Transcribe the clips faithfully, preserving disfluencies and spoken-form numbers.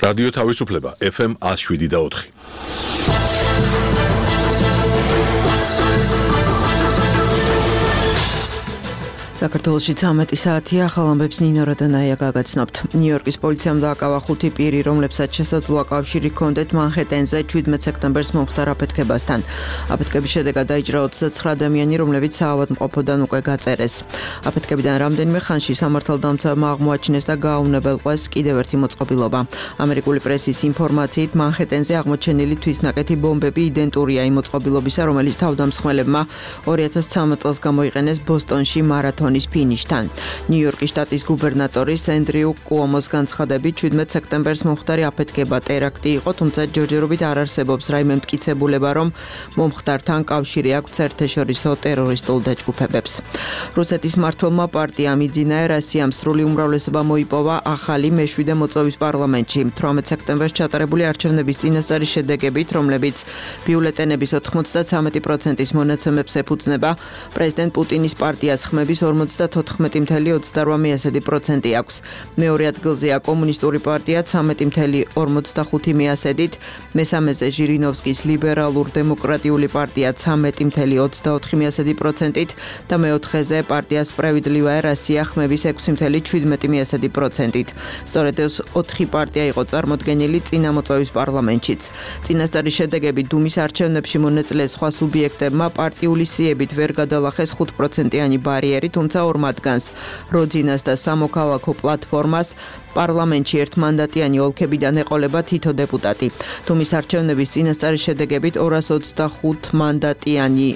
რადიო თავისუფლება ეფ ემ one oh seven და four. საქართველოში ცამეტი საათია, ახალ ამბებს ნინო როდანაია გაგაცნობთ. ნიუ-იორკის პოლიციამ დააკავა ხუთი პირი, რომლებსაც შესაძლოა კავშირი ჰქონდეთ მანჰეტენზე შვიდმეტ სექტემბერს მომხდარ აფეთქებასთან. აფეთქების შედეგად დაიჭრა ოცდაცხრა ადამიანი, რომლებიც საავადმყოფოდან უკვე გაწერეს. აფეთქებიდან რამდენიმე ხანში სამართალდამცავმა აღმოაჩინეს და გააუნებელყვეს კიდევ ერთი მოწყობილობა. ამერიკული პრესის ინფორმაციით, მანჰეტენზე აღმოჩენილი თვითნაკეთი ბომბები იდენტურია იმ მოწყობილობისა, რომელიც თავდამსხმელებმა ორი ათას ცხრამეტ წელს გამოიყენეს ბოსტონში მარათონ ფინიშთან. ნიუ-იორკის შტატის გუბერნატორის ენდრიუ კუომოს განცხადებით, შვიდმეტ სექტემბერს მომხდარი აფეთქება ტერაქტი იყო, თუმცა ჯერჯერობით არ არსებობს რაიმე მტკიცებულება, რომ მომხდართან კავშირი აქვს საერთაშორისო ტერორისტულ დაჯგუფებებს. რუსეთის მმართველმა პარტიამ იძინა რასიამ სრული უმრავლესობა მოიპოვა ახალი მეშვიდე მოწვევის პარლამენტში. თვრამეტ სექტემბერს ჩატარებული არჩევნების წინასწარი შედეგებით, რომლებიც ბიულეტენების ოცდათვრამეტი პროცენტის მონაცემებს ეფუძნება, პრეზიდენტ პუტინის პარტიას ხმების ორმოცდათოთხმეტი წუთი ოცდაოთხ პროცენტი აქვს. მეორე ადგილზეა კომუნისტური პარტია ცამეტი წუთი ორმოცდახუთი პროცენტით, მესამეზე ჟირინოვსკის ლიბერალურ-დემოკრატიული პარტია ცამეტი წუთი ოცდაოთხ პროცენტით და მეოთხეზე პარტია სპრევიდლივაია რასია ხმების ექვსი წუთი შვიდმეტი პროცენტით. სწორედ ეს ოთხი პარტია იყო წარმოდგენილი წინა მოწვევის პარლამენტშიც. წინასწარი შედეგები დუმის არჩევნებში მონაწილე სხვა სუბიექტებმა პარტიული სიებით ვერ გადალახეს ხუთ პროცენტიანი ბარიერი, თუმცა ორ მათგანს, როძინას და სამოქალაქო პლატფორმას, პარლამენტში ერთმანდატიანი ოლქებიდან ეყოლება თითო დეპუტატი. დუმის არჩევნების წინასწარი შედეგებით ორას ოცდახუთ მანდატიანი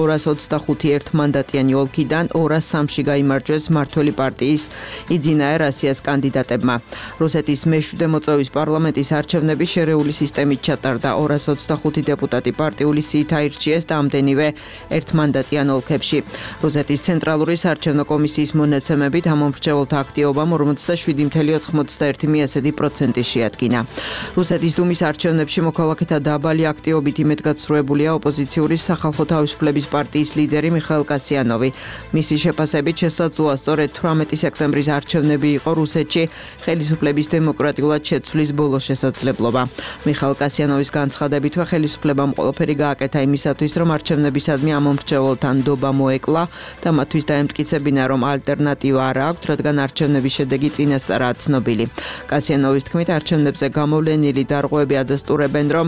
ორას ოცდახუთი ერთმანდატიანი ოლქიდან ორას სამში გაიმარჯვეს მმართველი პარტიის იძინა რასიას კანდიდატებმა. რუსეთის მეშვიდე მოწვევის პარლამენტის არჩევნები შერეული სისტემით ჩატარდა. ორას ოცდახუთი დეპუტატი პარტიული სიით აირჩიეს და ამდენივე ერთმანდატიან ოლქებში. რუსეთის ცენტრალური საარჩევნო კომისიის მონაცემებით ამომრჩეველთა აქტივობამ ორმოცდაშვიდი წუთი ოცდაერთი პროცენტი შეადგინა. რუსეთის დუმის არჩევნებში მოქალაქეთა დაბალი აქტივობით იმედგაცრუებულია ოპოზიციური სახალხო თავისუფლების პარტიის ლიდერი მიხაილ კასიანოვი. მისი შეფასებით შესაძლოა სწორედ თვრამეტი სექტემბრის არჩევნები იყო რუსეთში ხელისუფლების დემოკრატიულად შეცვლის ბოლო შესაძლებლობა. მიხაილ კასიანოვის განცხადებითვე ხელისუფლებამ ყველაფერი გააკეთა იმისათვის, რომ არჩევნებისადმი ამომრჩეველთა ნდობა მოეკლა და მათთვის დაემტკიცებინა, რომ ალტერნატივა არ აქვთ, რადგან არჩევნების შედეგი წინასწარაა ცნობილი. კასიანოვის თქმით, არჩევნებზე გამოვლენილი დარღვევები ადასტურებენ, რომ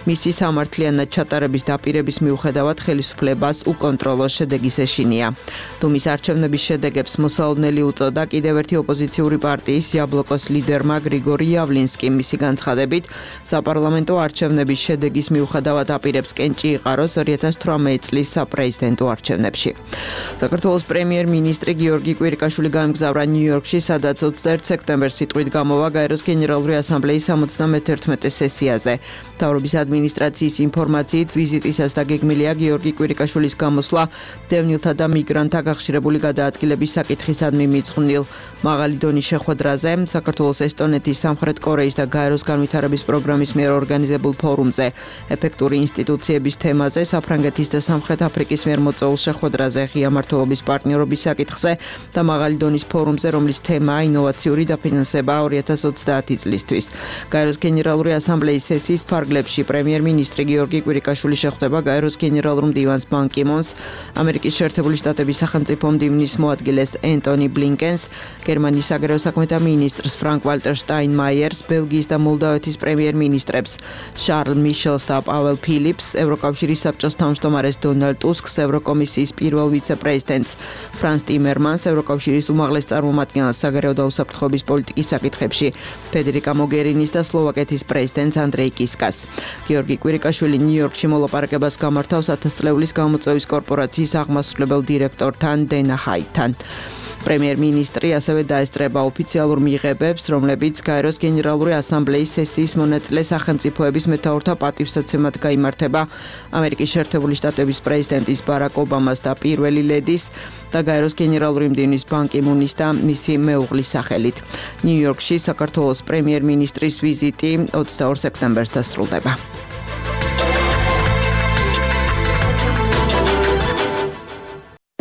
მისი სამართლიანად ჩატარების დაპირების მიუხედავად ხელისუფლებას უკონტროლო შედეგის ეშინია. დუმის არჩევნების შედეგებს მოსაოდნელი უწოდა კიდევ ერთი ოპოზიციური პარტიის იაბლოკოს ლიდერმა გრიგორი იავლინსკიმ. მისი განცხადებით, საპარლამენტო არჩევნების შედეგის მიუხედავად აპირებს კენჭი იყაროს ორი ათას თვრამეტი წლის საპრეზიდენტო არჩევნებში. საქართველოს პრემიერ-მინისტრი გიორგი კვირიკაშვილი გაემგზავრა ნიუ-იორკში, სადაც ოცდაერთი სექტემბერს სიტყვით გამოვა გაეროს გენერალური ასამბლეის სამოცდამეთერთმეტე სესიაზე. მთავრობის ადმინისტრაციის ინფორმაციით, ვიზიტისას დაგეგმილია გიორგი კვირიკაშვილის გამოსვლა დევნილთა და მიგრანტთა გახშირებული გადაადგილების საკითხისადმი მიძღვნილ მაღალი დონის შეხვედრაზე, საქართველოს, ესტონეთის, სამხრეთ კორეის და გაეროს განვითარების პროგრამის მიერ ორგანიზებულ ფორუმზე, ეფექტური ინსტიტუციების თემაზე, საფრანგეთის და სამხრეთ აფრიკის მიერ მოწვეულ შეხვედრაზე, ღია მმართველობის პარტნიორობის საკითხზე და მაღალი დონის ფორუმზე, რომლის თემაა ინოვაციური დაფინანსება ორი ათას ოცდაათი წლისთვის. გაეროს გენერალური ასამბლეის სესიის ფარგლებში პრემიერ-მინისტრი გიორგი კვირიკაშვილი შეხვდება გაეროს გენერალურ მდივანს ბან კი მუნს, ამერიკის შეერთებული შტატების სახელმწიფო მდივნის მოადგილეს ენტონი ბლინკენს, გერმანიის საგარეო საქმეთა მინისტრს ფრანკ ვალტერ შტაინმაიერს, ბელგიის და მოლდავეთის პრემიერ-მინისტრებს შარლ მიშელს და პაველ ფილიპს, ევროკავშირის საბჭოს თავმჯდომარეს დონალდ ტუსკს, ევროკომისიის პირველ ვიცე-პრეზიდენტს ფრანს ტიმერმანს, ევროკავშირის უმაღლეს წარმომადგენელს საგარეო და უსაფრთხოების პოლიტიკის საკითხებში ფედერიკა მოგერინის და სლოვაკეთის პრეზიდენტს ანდრეი კისკას. გიორგი კვირიკაშვილი ნიუ-იორკში მოლაპარაკებას გამართავს ათასწლეულის გამოწვევის კორპორაციის აღმასრულებელ დირექტორთან დენა ჰაიტთან. პრემიერ-მინისტრი ასევე დაესწრება ოფიციალურ მიღებებს, რომლებიც გაეროს გენერალური ასამბლეის სესიის მონაწილე სახელმწიფოების მეთაურთა პატივსაცემად გაიმართება ამერიკის შეერთებული შტატების პრეზიდენტის ბარაკ ობამას და პირველი ლედის და გაეროს გენერალური მდივნის ბან კი მუნის და მისი მეუღლის სახელით. ნიუ-იორკში საქართველოს პრემიერ-მინისტრის ვიზიტი ოცდაორ სექტემბერს დასრულდება.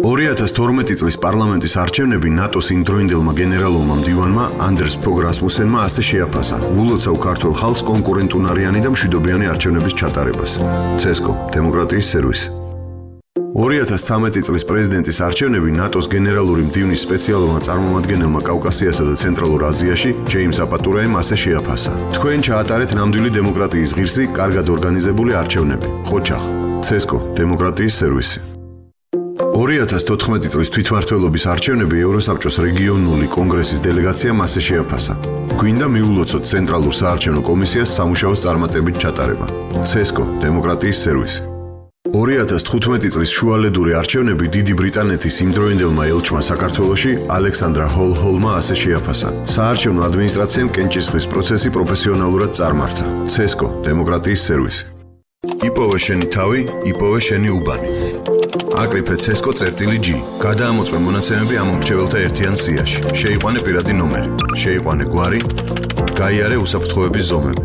ორი ათას თორმეტი წლის პარლამენტის არჩევნები ნატოს იმდროინდელმა გენერალურმა მდივანმა ანდერს ფოგ რასმუსენმა ასე შეაფასა ვულოცავ ქართულ ხალხს კონკურენტუნარიანი და მშვიდობიანი არჩევნების ჩატარებას. ცესკო, დემოკრატიის სერვისი. ორი ათას ცხრამეტი წლის პრეზიდენტის არჩევნები ნატოს გენერალური მდივნის სპეციალურმა წარმომადგენელმა კავკასიასა და ცენტრალურ აზიაში ჯეიმს აპატურაემ ასე შეაფასა. თქვენ ჩაატარეთ ნამდვილი დემოკრატიის ღირსი, კარგად ორგანიზებული არჩევნები. ხოჩახ, ცესკო, დემოკრატიის სერვისი. ორი ათას თოთხმეტი წლის თვითმმართველობის არჩევნები ევროსაბჭოს რეგიონული კონგრესის დელეგაციამ ასე შეაფასა. გვინდა მიულოცოთ ცენტრალურ საარჩევნო კომისიას სამუშაოს წარმატებით ჩატარება. ცესკო, დემოკრატიის სერვისი. ორი ათას თხუთმეტი წლის შუალედური არჩევნები დიდი ბრიტანეთის იმდროინდელმა ელჩმა საქართველოში ალექსანდრა ჰოლ-ჰოლმა ასე შეაფასა. საარჩევნო ადმინისტრაციამ კენჭისყრის პროცესი პროფესიონალურად წარმართა. ცესკო, დემოკრატიის სერვისი. იპოვე შენი თავი, იპოვე შენი უბანი. აკრიფე ცესკო წერტილი G. გადაამოწმე მონაცემები ამ მრჩეველთა ერთიან სიაში. შეიყვანე პირადი ნომერი. შეიყვანე გვარი. გაიარე უსაფრთხოების ზომები.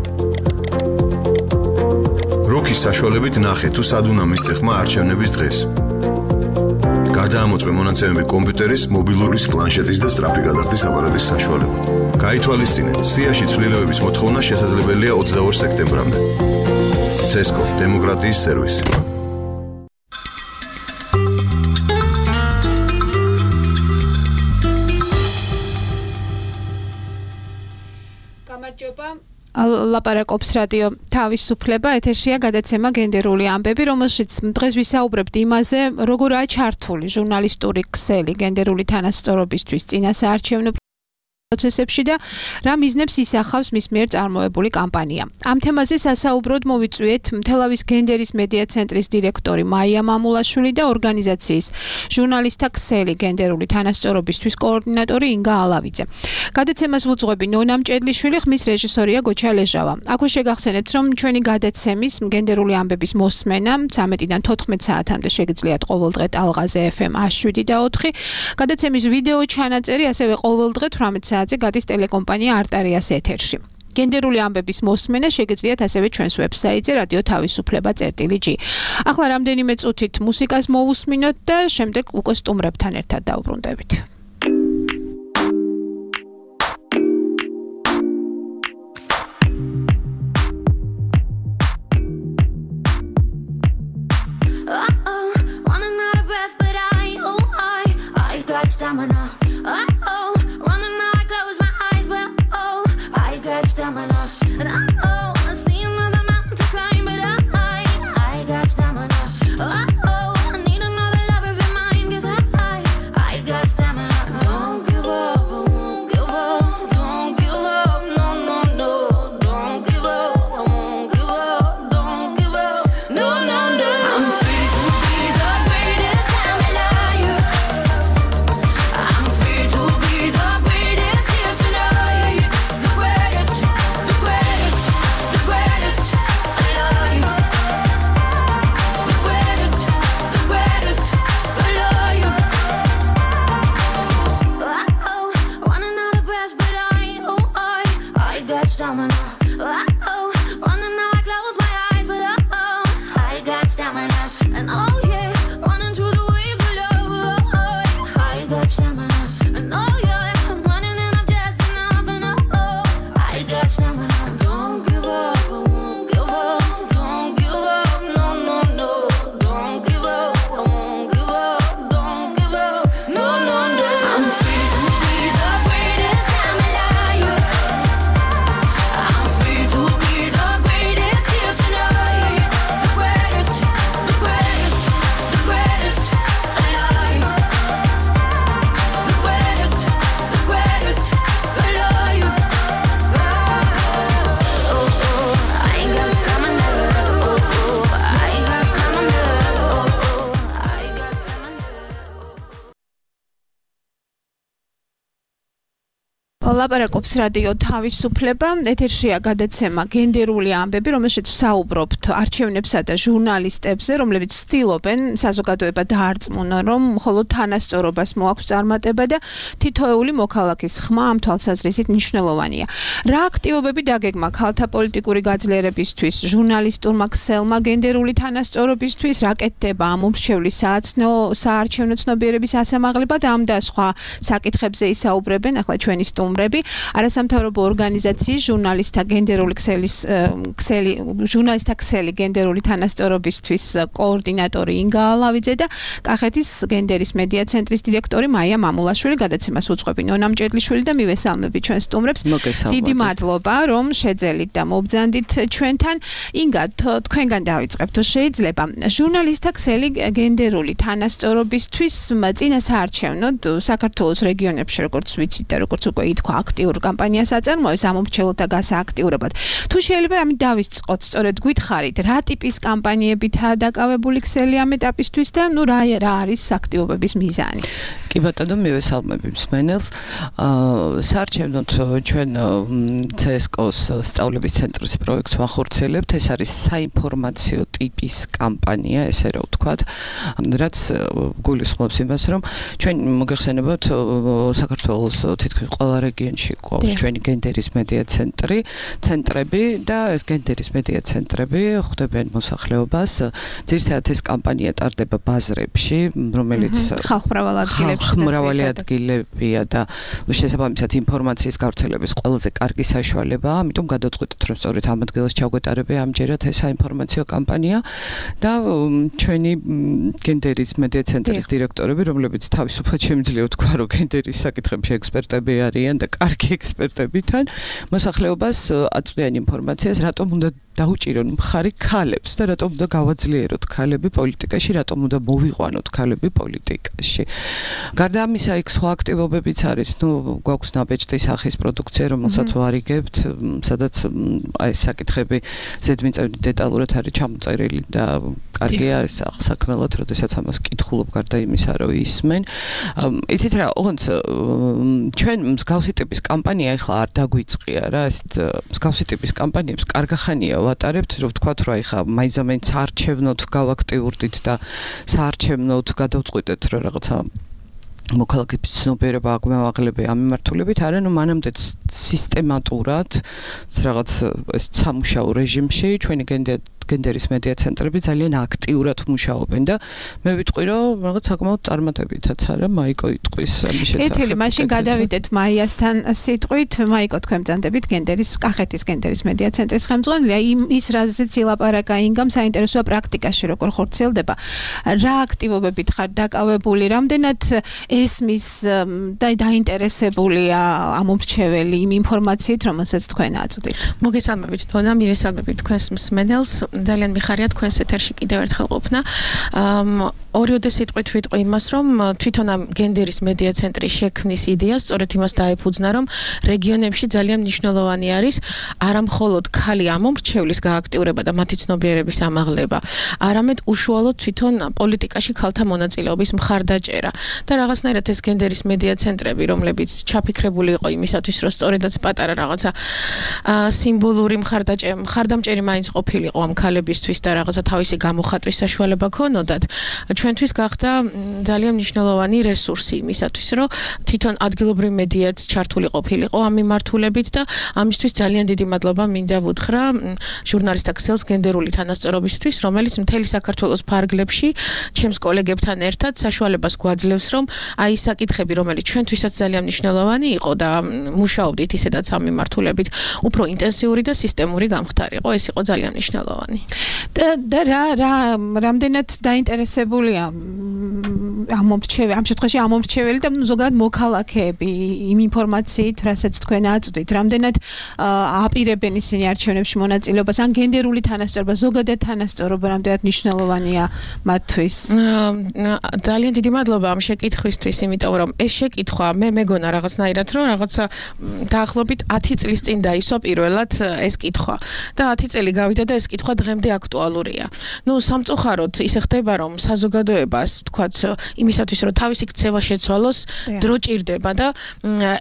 როქის საშუალებით ნახე თუ სად უნდა მისცე ხმა არჩევნების დღეს. გადაამოწმე მონაცემები კომპიუტერის, მობილურის, პლანშეტის და სწრაფი გადახდის აპარატის საშუალებით. გაითვალისწინეთ, სიაში ცვლილებების მოთხოვნა შესაძლებელია ოცდაორ სექტემბრამდე. ცესკო, დემოკრატიის სერვისი. ლაპარაკობს რადიო თავისუფლება, ეთერშია გადაცემა გენდერული ამბები, რომელშიც დღეს ვისაუბრებთ იმაზე, როგორაა ჩართული ჟურნალისტური ქსელი გენდერული თანასწორობისთვის წინასაარჩევნო პროცესებში და რა მიზნებს ისახავს მის მიერ წარმოებული კამპანია. ამ თემაზე სასაუბროდ მოვიწვიეთ თელავის გენდერის მედია ცენტრის დირექტორი მაია მამულაშვილი და ორგანიზაციის ჟურნალისტთა ქსელი გენდერული თანასწორობისთვის კოორდინატორი ინგა ალავიძე. გადაცემას ვუძღვები ნონა მჭედლიშვილი, ხმის რეჟისორია გოჩა ლეჟავა. აქვე შეგახსენებთ, რომ ჩვენი გადაცემის გენდერული ამბების მოსმენა ცამეტიდან თოთხმეტ საათამდე შეგიძლიათ ყოველდღე ტალღაზე F M A შვიდი და ოთხი. გადაცემის ვიდეო ჩანაწერი ასევე ყოველდღე თვრამეტ საათზე გადის ტელეკომპანია არტარიას ეთერში. გენდერული ამბების მოსმენა შეგიძლიათ ასევე ჩვენს ვებსაიტზე რადიო თავისუფლება წერტილი G. ახლა რამდენიმე წუთით მუსიკას მოვუსმინოთ და შემდეგ უკვე სტუმრებთან ერთად დავბრუნდებით. Stamina. Uh-oh, running now, I close my eyes, well, oh, I got stamina. And uh-oh, I see another mountain to climb, but I, I got stamina. Uh-oh, I need another lover be mine, cause I, I got stamina. Don't give up, I won't give up, don't give up, no, no, no, don't give up, I won't give up, don't give up, no, no, no. I'm free to be the greatest I'm alive. I'm free. ლაპარაკობს რადიო თავისუფლება, ეთერშია გადაცემა გენდერული ამბები, რომელშიც ვსაუბრობთ არჩევნებსა და ჟურნალისტებზე, რომლებიც ცდილობენ საზოგადოება დაარწმუნონ, რომ მხოლოდ თანასწორობას მოაქვს წარმატება და თითოეული მოქალაქის ხმა ამ თვალსაზრისით მნიშვნელოვანია. რა აქტივობები დაგეგმა ქალთა პოლიტიკური გაძლიერებისთვის, ჟურნალისტურმა ქსელმა გენდერული თანასწორობისთვის, რა კეთდება ამ უმრჩევლის საარჩევნო ცნობიერების ასამაღლებლად, ამ და სხვა საკითხებზე ისაუბრებენ ახლა ჩვენი სტუმრები, არასამთავრობო ორგანიზაციის ჟურნალისტთა გენდერული ქსელის ქსელი ჟურნალისტთა ქსელი გენდერული თანასწორობისთვის კოორდინატორი ინგა ალავიძე და კახეთის გენდერის მედია ცენტრის დირექტორი მაია მამულაშვილი. გადაცემას უძღვები ნონა მჭედლიშვილი და მივესალმები ჩვენ სტუმრებს. დიდი მადლობა რომ შეძელით და მობრძანდით ჩვენთან. ინგა, თქვენგან დავიწყებთ, თუ შეიძლება. ჟურნალისტთა ქსელი გენდერული თანასწორობისთვის წინა საარჩევნოდ საქართველოს რეგიონებში, როგორც ვიცით და როგორც უკვე ითქვა, აქტიურ კამპანიას აწარმოებს ამ მომრჩეველთა გასააქტიურებად. თუ შეიძლება ამით დავიწყოთ, სწორედ გითხარით, რა ტიპის კამპანიებითაა დაკავებული ქსელი ამ ეტაპისთვის და ნუ რა რა არის აქტივობების მიზანი? კი ბატონო, მივესალმები მსმენელს. საარჩევნოდ ჩვენ ცსკოს სწავლების ცენტრის პროექტს ვახორციელებთ. ეს არის საინფორმაციო ტიპის კამპანია, ესე რა ვთქვათ, რაც გულისხმობს იმას, რომ ჩვენ მოგეხსენებათ საქართველოს თითქმის ყველა რეგიონში გვაქვს ჩვენი გენდერის მედია ცენტრი, ცენტრები და ეს გენდერის მედია ცენტრები ხვდებიან მოსახლეობას. ძირითადად ეს კამპანია ტარდება ბაზრებში, რომელიც ხალხმრავალი ადგილებია და შესაბამისად ინფორმაციის გავრცელების ყველაზე კარგი საშუალებაა, ამიტომ გადავწყვიტეთ, რომ სწორედ ამ ადგილას ჩაგვეტარებია ამჯერად ეს საინფორმაციო კამპანია და ჩვენი გენდერის მედია ცენტრის დირექტორები, რომლებიც თავისუფლად შემიძლია ვთქვა, რომ გენდერის საკითხებში ექსპერტები არიან და კარგი ექსპერტები თან, მოსახლეობას აწვდიან ინფორმაციას, რატომ უნდა დაუჭირონ მხარი ქალებს და რატომ უნდა გავაძლიეროთ ქალები პოლიტიკაში, რატომ უნდა მოვიყვანოთ ქალები პოლიტიკაში. გარდა ამისა, იქ სხვა აქტივობებიც არის, ნუ გვაქვს ნაბეჭდი სახის პროდუქცია, რომელსაც ვარიგებთ, სადაც აი ეს საკითხები ზედმიწევნით დეტალურად არის ჩამოწერილი და კარგია ეს საქმელად, როდესაც ამას კითხულობ გარდა იმისა, რომ ისმენ. იცით რა, ოღონდ ჩვენ მსგავსი ტიპის კამპანია ახლა არ დაგვიწყია რა, ეს მსგავსი ტიპის კამპანიებს კარგახანია ვატარებთ, რომ ვთქვათ, რომ ახლა მაინც-ამაინც საარჩევნოდ გავაქტიურდით და საარჩევნოდ გადავწყვიტეთ, რომ რაღაცა მოქალაქეების ცნობიერება აგვამაღლებია ამ მიმართულებით, არა, ნუ მანამდე სისტემატურად რაღაც ეს სამუშაო რეჟიმში ჩვენი გენდერის მედია ცენტრები ძალიან აქტიურად მუშაობენ და მე ვიტყვი, რომ რაღაც საკმაოდ წარმატებითაც არა, მაიკო იტყვის ამის შესახებ. ეთელი, მაშინ გადავიდეთ მაიასთან სიტყვით. მაიკო, თქვენ ბრძანდებით გენდერის კახეთის გენდერის მედია ცენტრის ხელმძღვანელია. ის რაზეც ილაპარაკა ინგამ, საინტერესოა პრაქტიკაში როგორ ხორციელდება. რა აქტივობებით ხარ დაკავებული, რამდენად ესმის და დაინტერესებულია ამ მომრჩეველი იმ ინფორმაციით, რომელსაც თქვენ აწვდით. მოგესალმებით, თონა, მივესალმებით თქვენს მსმენელს. ძალიან მიხარია თქვენს ეთერში კიდევ ერთხელ ყოფნა. ორიოდე სიტყვით ვიტყვი იმას, რომ თვითონ ამ გენდერის მედია ცენტრის შექმნის იდეა სწორედ იმას დაეფუძნა, რომ რეგიონებში ძალიან მნიშვნელოვანი არის არა მხოლოდ ქალი ამომრჩევლის გააქტიურება და მათი ცნობიერების ამაღლება, არამედ უშუალოდ თვითონ პოლიტიკაში ქალთა მონაწილეობის მხარდაჭერა. და რაღაცნაირად ეს გენდერის მედია ცენტრები, რომლებიც ჩაფიქრებული იყო იმისათვის, რომ სწორედაც პატარა რაღაცა სიმბოლური მხარდაჭერა, მხარდამჭერი მაინც ყოფილიყო ამ ქალებისთვის და რაღაცა თავისი გამოხატვის საშუალება ქონოდათ. ჩვენთვის გახდა ძალიან მნიშვნელოვანი რესურსი იმისათვის, რომ თვითონ ადგილობრივ მედიაც ჩართული ყოფილიყო ამ მიმართულებით და ამისთვის ძალიან დიდი მადლობა მინდა ვუთხრა ჟურნალისტთა ქსელს გენდერული თანასწორობისთვის, რომელიც მთელი საქართველოს ფარგლებში ჩემს კოლეგებთან ერთად საშუალებას გვაძლევს, რომ აი ეს საკითხები, რომელიც ჩვენთვისაც ძალიან მნიშვნელოვანი იყო და მუშაობდით ისედაც ამ მიმართულებით, უფრო ინტენსიური და სისტემური გამხდარიყო, ეს იყო ძალიან მნიშვნელოვანი. და რა რა რამდენად დაინტერესებულია ამ მომრჩეველი, ამ შემთხვევაში ამ მომრჩეველი და ზოგადად მოქალაქეები იმ ინფორმაციით, რასაც თქვენ აწვდით, რამდენად აპირებენ ისინი არჩევნებში მონაწილეობას, ან გენდერული თანასწორობა, ზოგადად თანასწორობა რამდენად მნიშვნელოვანია მათთვის? ძალიან დიდი მადლობა ამ შეკითხვისთვის. ჩემთვის, იმიტომ რომ ეს შეკითხვა მე მეგონა რაღაცნაირად რომ რაღაცა დაახლოებით ათი წლის წინ დაისვა პირველად ეს კითხვა და ათი წელი გავიდა და ეს კითხვა დღემდე აქტუალურია. ნუ სამწუხაროდ ისე ხდება რომ საზოგადოებას თქვათ იმისათვის რომ თავისი ქცევა შეცვალოს დრო ჭირდება და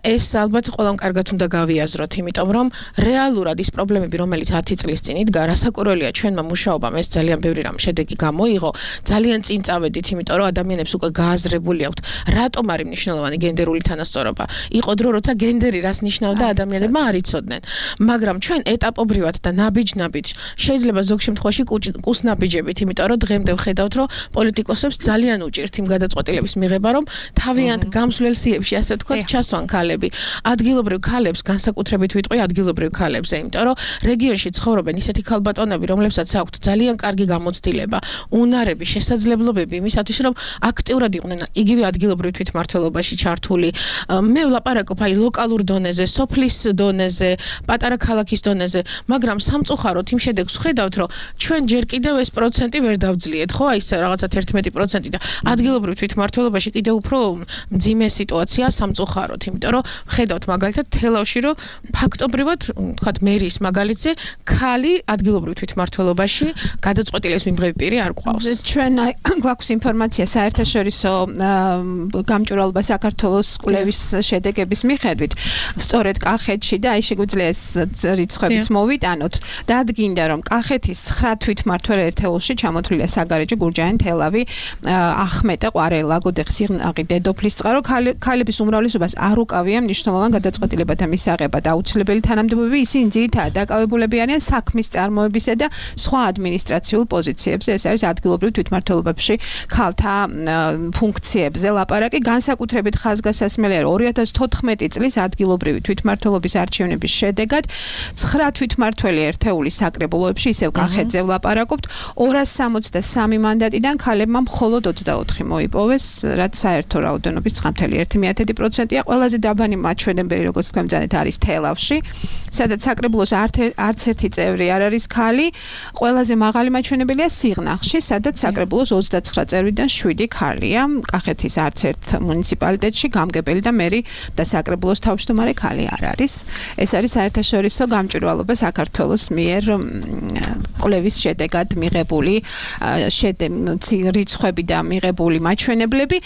ეს ალბათ ყველამ კარგად უნდა გავიაზროთ, იმიტომ რომ რეალურად ის პრობლემები რომელიც ათი წლის წინ იდგა, რასაკვირველია ჩვენმა მუშაობამ ეს ძალიან ბევრი რამ შედეგი გამოიღო, ძალიან წინ წავედით, იმიტომ რომ ადამიანებს უკვე გააზრებული აქვთ რატომ არის მნიშვნელოვანი გენდერული თანასწორობა. იყო დრო როცა გენდერი რას ნიშნავდა ადამიანებმა არ იცოდნენ, მაგრამ ჩვენ ეტაპობრივად და ნაბიჯ-ნაბიჯ შეიძლება ზოგ შემთხვევაში კუსნაბიჯებით, იმიტომ რომ დღემდე ვხედავთ რომ პოლიტიკოსებს ძალიან უჭირთ იმ გადაწყვეტილების მიღება, რომ თავიანთ გამსვლელ სიებში ასე ვთქვათ ჩასვან ქალები. ადგილობრივ ქალებს განსაკუთრებით ვიტყვი ადგილობრივ ქალებზე, იმიტომ რომ რეგიონში ცხოვრობენ ისეთი ქალბატონები, რომლებსაც აქვთ ძალიან კარგი გამოცდილება, უნარები, შესაძლებლობები იმისათვის, რომ აქტიურად იყვნენ იგივე ადგილობრივ თვითმმართველობაში ჩართული. მე ვლაპარაკობ აი ლოკალურ დონეზე, სოფლის დონეზე, პატარა ქალაქის დონეზე, მაგრამ სამწუხაროდ იმ შედეგს ვხედავთ, რომ ჩვენ ჯერ კიდევ ეს პროცენტი ვერ დავძლიეთ, ხო, აი ეს რაღაცა თერთმეტი პროცენტი და ადგილობრივ თვითმმართველობაში კიდევ უფრო მძიმე სიტუაცია სამწუხაროდ, იმიტომ რომ ვხედავთ მაგალითად თელავში, რომ ფაქტობრივად, თქვათ, მერის მაგალითზე ქალი ადგილობრივ თვითმმართველობაში გადაწყვეტილების მიმღები პირი არ გვყავს. ჩვენ გვაქვს ინფორმაცია საერთაშორისო გამჭვირვალობა საქართველოს კვლევის შედეგების მიხედვით, სწორედ კახეთში და აი შეგვიძლია ეს რიცხვებიც მოვიტანოთ. დადგინდა რომ კახეთის ცხრა თვითმმართველ ერთეულში ჩამოთვლილია საგარეჯო, გურჯაანი, თელავი, ახმეტე, ყვარელა, გოდეხი, სიღნაღი, დედოფლისწყარო. ქალების უმრავლესობას არ უკავია მნიშვნელოვან გადაწყვეტილებათა მისაღება და აუცილებელი თანამდებობები, ისინი ძირითადად დაკავებულები არიან საქმის წარმოებისა და სხვა ადმინისტრაციულ პოზიციებზე. ეს არის ადგილობრივ თვითმმართველობებში ქალთა ფუნქციებზე ლაპარაკი. განსაკუთრებით ხაზგასასმელია რომ ორი ათას თოთხმეტი წლის ადგილობრივი თვითმმართველობის არჩევნების შედეგად ცხრა თვითმმართველი ერთეულის საკრებულოებში, ისევ კახეთზე ვლაპარაკობთ, ორას სამოცდა სამი მანდატიდან ქალებმა მხოლოდ ოცდაოთხი მოიპოვეს, რაც საერთო რაოდენობის ცხრა კoma ერთი პროცენტია. ყველაზე დაბანი მაჩვენებელი, როგორც თქვენ ბრძანეთ, არის თელავში, სადაც საკრებულოს არც ერთი წევრი არ არის ქალი. ყველაზე მაღალი მაჩვენებელია სიღნაღში, სადაც საკრებულოს ოცდაცხრა წევრიდან შვიდი ქალია. კახეთის არც ერთ მუნიციპალიტეტში გამგებელი და მერი და საკრებულოს თავმჯდომარე ქალი არ არის. ეს არის საერთაშორისო გამჭვირვალობა საქართველოს მიერ კვლევის შედეგად მიღებული რიცხვები და მიღებული მაჩვენებლები.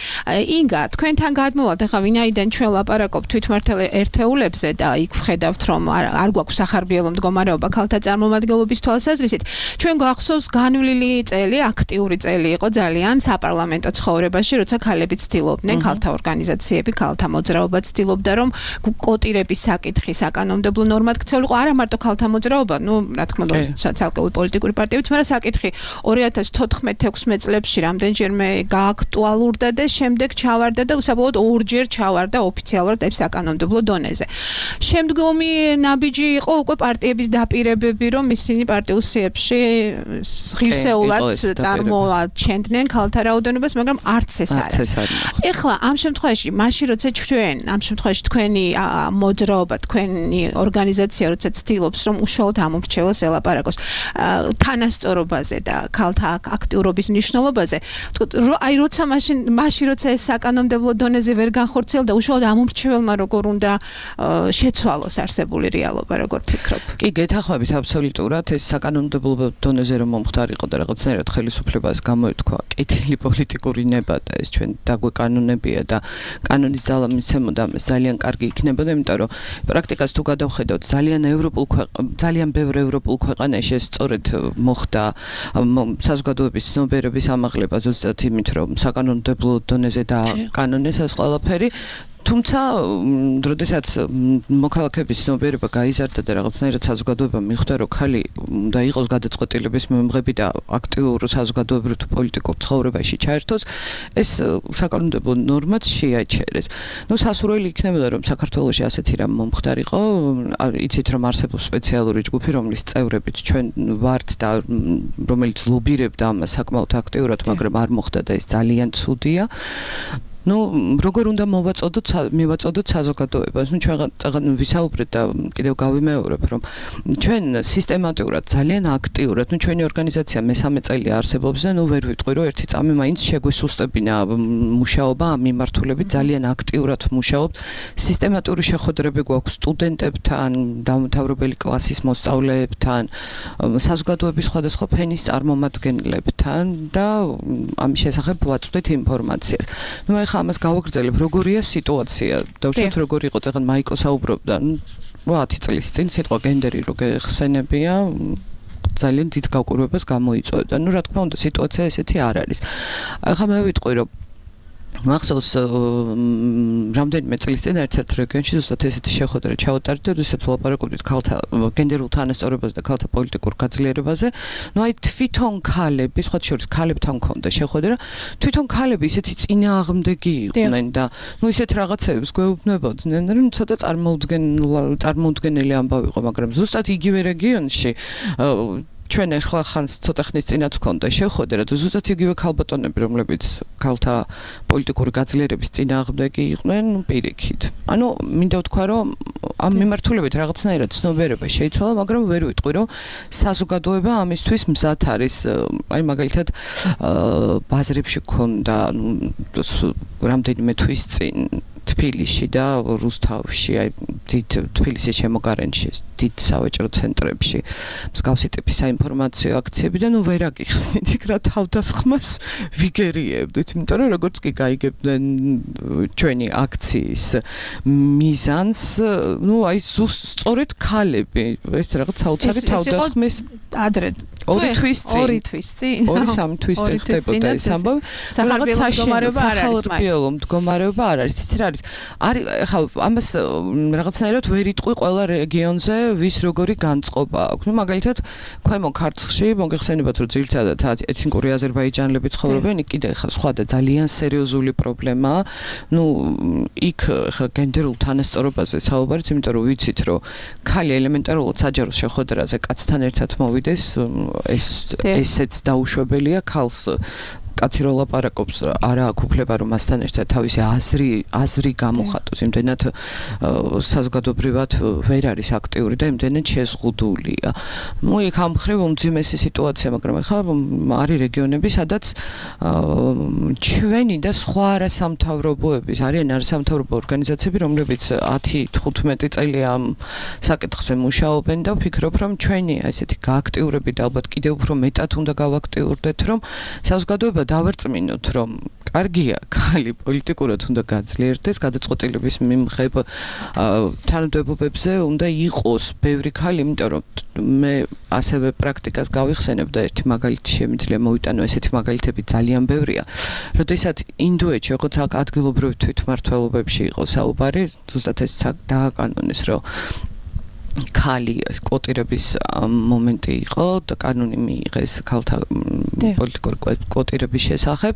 ინგა, თქვენთან გადმოვალთ, ახლა ვინაიდან ჩვენ ლაპარაკობთ თვითმმართველ ერთეულებზე და იქ ვხედავთ, რომ არ გვაქვს სახარბიელო მდგომარეობა ქალთა წარმომადგენლობის თვალსაზრისით. ჩვენ გვახსოვს განვლილი წელი, აქტიური წელი იყო ძალიან საპარლამენტო ცხოვრებაში, როცა ქალები ცდილობდნენ, ქალთა ორგანიზაციები, ქალთა მოძრაობა ცდილობდა, რომ კოტირების საკითხი საკანონმდებლო ნორმად ქცეულიყო, არა მარტო ქალთა მოძრაობა, ნუ რა თქმა უნდა, ცალკეული პოლიტიკური პარტიებიც, მაგრამ საკითხი ორი ათას თოთხმეტ ექვსმეტ წლებში რამდენჯერმე გააქტუალურდა და შემდეგ ჩავარდა და უსაბოლოოდ ორჯერ ჩავარდა ოფიციალურად საკანონმდებლო დონეზე. შემდგომი ნაბიჯი იყო უკვე პარტიების დაპირებები, რომ ისინი პარტიულ სიებში ღირსეულად წარმოაჩენდნენ ქალთა რაოდენობას, მაგრამ არც ეს არ არის. ეხლა ამ შემთხვევაში, მაშინ როცა ჩვენ, ამ შემთხვევაში თქვენი მოძრაობა, თქვენი ორგანიზაცია როცა ცდილობს, რომ უშუალოდ ამ ურჩევლს ელაპარაკოს თანასწორობაზე და ქალთა აქტიურობის მნიშვნელობაზე, აი როცა მაშინ, მაშინ როცა ეს საკანონმდებლო დონეზე ვერ განხორციელდა, უშუალოდ ამ ურჩევლმა როგორ უნდა შეცვალოს არსებული რეალობა, როგორ ფიქრობ? კი, გეთანხმებით აბსოლუტურად, ეს საკანონმდებლო დონეზე რომ მომხდარიყო და რაღაცნაირად ხელისუფლებას გამოეთქვა კეთილი პოლიტიკური ნება და ეს ჩვენ დაგვეკანონებია და კანონის ძალა მიცემოდა, ძალიან კარგი იქნებოდა, იმიტომ რომ პრაქტიკას თუ გადავხედავთ, ძალიან ევროპულ ძალიან ბევრ ევროპულ ქვეყანაში ეს სწორედ მოხდა საზოგადოების ცნობიერების ამაღლება ზუსტად იმით, რომ საკანონმდებლო დონეზე დააკანონეს ეს ყველაფერი. თუმცა, როდესაც მოქალაქეების ცნობიერება გაიზარდა და რაღაცნაირად საზოგადოება მიხვდა, რომ ქალი უნდა იყოს გადაწყვეტილების მომღები და აქტიურ საზოგადოებრივ თუ პოლიტიკურ ცხოვრებაში ჩაერთოს, ეს საკანონმდებლო ნორმაც შეაჩერეს. ნუ სასურველი იქნებოდა, რომ საქართველოში ასეთი რამ მომხდარიყო, იცით, რომ არსებობს სპეციალური ჯგუფი, რომლის წევრებიც ჩვენ ვართ და რომელიც ლობირებდა ამას საკმაოდ აქტიურად, მაგრამ არ მოხდა და ეს ძალიან ცუდია. ნუ როგორ უნდა მოვაწოდოთ მივაწოდოთ საზოგადოებას. ნუ ჩვენ ვისაუბრეთ და კიდევ გავიმეორებ, რომ ჩვენ სისტემატურად ძალიან აქტიურად, ნუ ჩვენი ორგანიზაცია მესამე წელი არსებობს და ნუ ვერ ვიტყვი, რომ ერთი წამი მაინც შეგვესუსტებინა მუშაობა ამ მიმართულებით, ძალიან აქტიურად მუშაობთ. სისტემატური შეხვედრები გვაქვს სტუდენტებთან, დამთავრებელი კლასის მოსწავლეებთან, საზოგადოების სხვადასხვა ფენის წარმომადგენლებთან და ამის შესახებ ვაწვდით ინფორმაციას. ნუ ეხლა ამას გავაგრძელებ, როგორია სიტუაცია. დავუშვათ როგორ იყო წეგან მაიკო საუბრობდა, ნუ ათი წლის წინ სიტყვა გენდერი რო გეხსენებია, ძალიან დიდ გაკვირვებას გამოიწვევდა. ნუ რა თქმა უნდა, სიტუაცია ესეთი არ არის. ახლა მე ვიტყვი, რომ მახსოვს რამდენიმე წლის წინ ერთ-ერთ რეგიონში ზუსტად ესეთი შეხვედრა ჩავატარდა, როდესაც ვლაპარაკობდით ქალთა გენდერულ თანასწორობაზე და ქალთა პოლიტიკურ გაძლიერებაზე. ნუ აი თვითონ ქალები, სხვა შორის ქალებთან მქონდა შეხვედრა, თვითონ ქალები ისეთი წინააღმდეგი იყვნენ და ნუ ისეთ რაღაცებს გვეუბნებოდნენ, რომ ცოტა წარმოუდგენელი ამბავი იყო, მაგრამ ზუსტად იგივე რეგიონში ჩვენ ახლა ხანს ცოტა ხნის წინაც ვქონდა შეხვედრა და ზუსტად იგივე ქალბატონები, რომლებიც ქალთა პოლიტიკური გაძლიერების წინააღმდეგი იყვნენ, ნუ პირიქით. ანუ მინდა ვთქვა, რომ ამ მიმართულებით რაღაცნაირად ცნობიერება შეიცვალა, მაგრამ ვერ ვიტყვი, რომ საზოგადოება ამისთვის მზად არის. აი მაგალითად ბაზრებში გქონდა რამდენიმე თვის წინ თბილისში და რუსთავში, აი დიდ თბილისის შემოგარენში, დიდ სავაჭრო ცენტრებში მსგავსი ტიპის საინფორმაციო აქციები და ნუ ვერ აგიხსნით იქ რა თავდასხმას ვიგერიებდით, იმიტომ რომ როგორც კი გაიგებდნენ ჩვენი აქციის მიზანს, ნუ აი სწორედ ქალები ეს რაღაც საოცარი თავდასხმის ადრე ორი თვის წინ ორი თვის წინ ორი სამი თვის წინ ხდებოდა ეს ამბავი. რაღაც სახალხო მდგომარეობა არ არის. იცი რა არის? არის ხა ამას რაღაცნაირად ვერ იტყვი ყველა რეგიონზე ვის როგორი განწყობა აქვს. ნუ მაგალითად ქვემო ქართლში მოგეხსენებათ, რომ ძირითადად ეთნიკური აზერბაიჯანელები ცხოვრობენ, იქ კიდე ხა სხვა და ძალიან სერიოზული პრობლემაა. ნუ იქ ხა გენდერულ თანასწორობაზე საუბარიც, იმიტომ რომ ვიცით, რომ ქალი ელემენტარულად საჯარო შეხვედრაზე კაცთან ერთად მოვიდეს, ეს ესეც დაუშვებელია ქალს კაცი რო ლაპარაკობს, არა აქვს უფლება რომ მასთან ერთად თავისი აზრი აზრი გამოხატოს, იმდენად საზოგადოებრივად ვერ არის აქტიური და იმდენად შეზღუდულია. ნუ იქ ამ მხრივ უმძიმესი სიტუაცია, მაგრამ ახლა არის რეგიონები, სადაც ჩვენი და სხვა არასამთავრობოების, არიან არასამთავრობო ორგანიზაციები, რომლებიც ათი თხუთმეტი წელი ამ საკითხზე მუშაობენ და ვფიქრობ, რომ ჩვენი ასეთი გააქტიურებით და ალბათ კიდევ უფრო მეტად უნდა გავაქტიურდეთ, რომ საზოგადოება დავერწმინოთ, რომ კარგია ქალი პოლიტიკურად უნდა გაძლიერდეს, გადაწყვეტილების მიმღებ თანამდებობებზე უნდა იყოს ბევრი ქალი, იმიტომ რომ მე ასევე პრაქტიკას გავიხსენებ და ერთი მაგალითი შემიძლია მოვიტანო, ესეთი მაგალითები ძალიან ბევრია. როდესაც ინდოეთში, როგორც ადგილობრივ თვითმმართველობებში იყო საუბარი, ზუსტად ეს დააკანონეს, რომ ქალი კვოტირების მომენტი იყო და კანონი მიიღეს ქალთა პოლიტიკური კვოტირების შესახებ.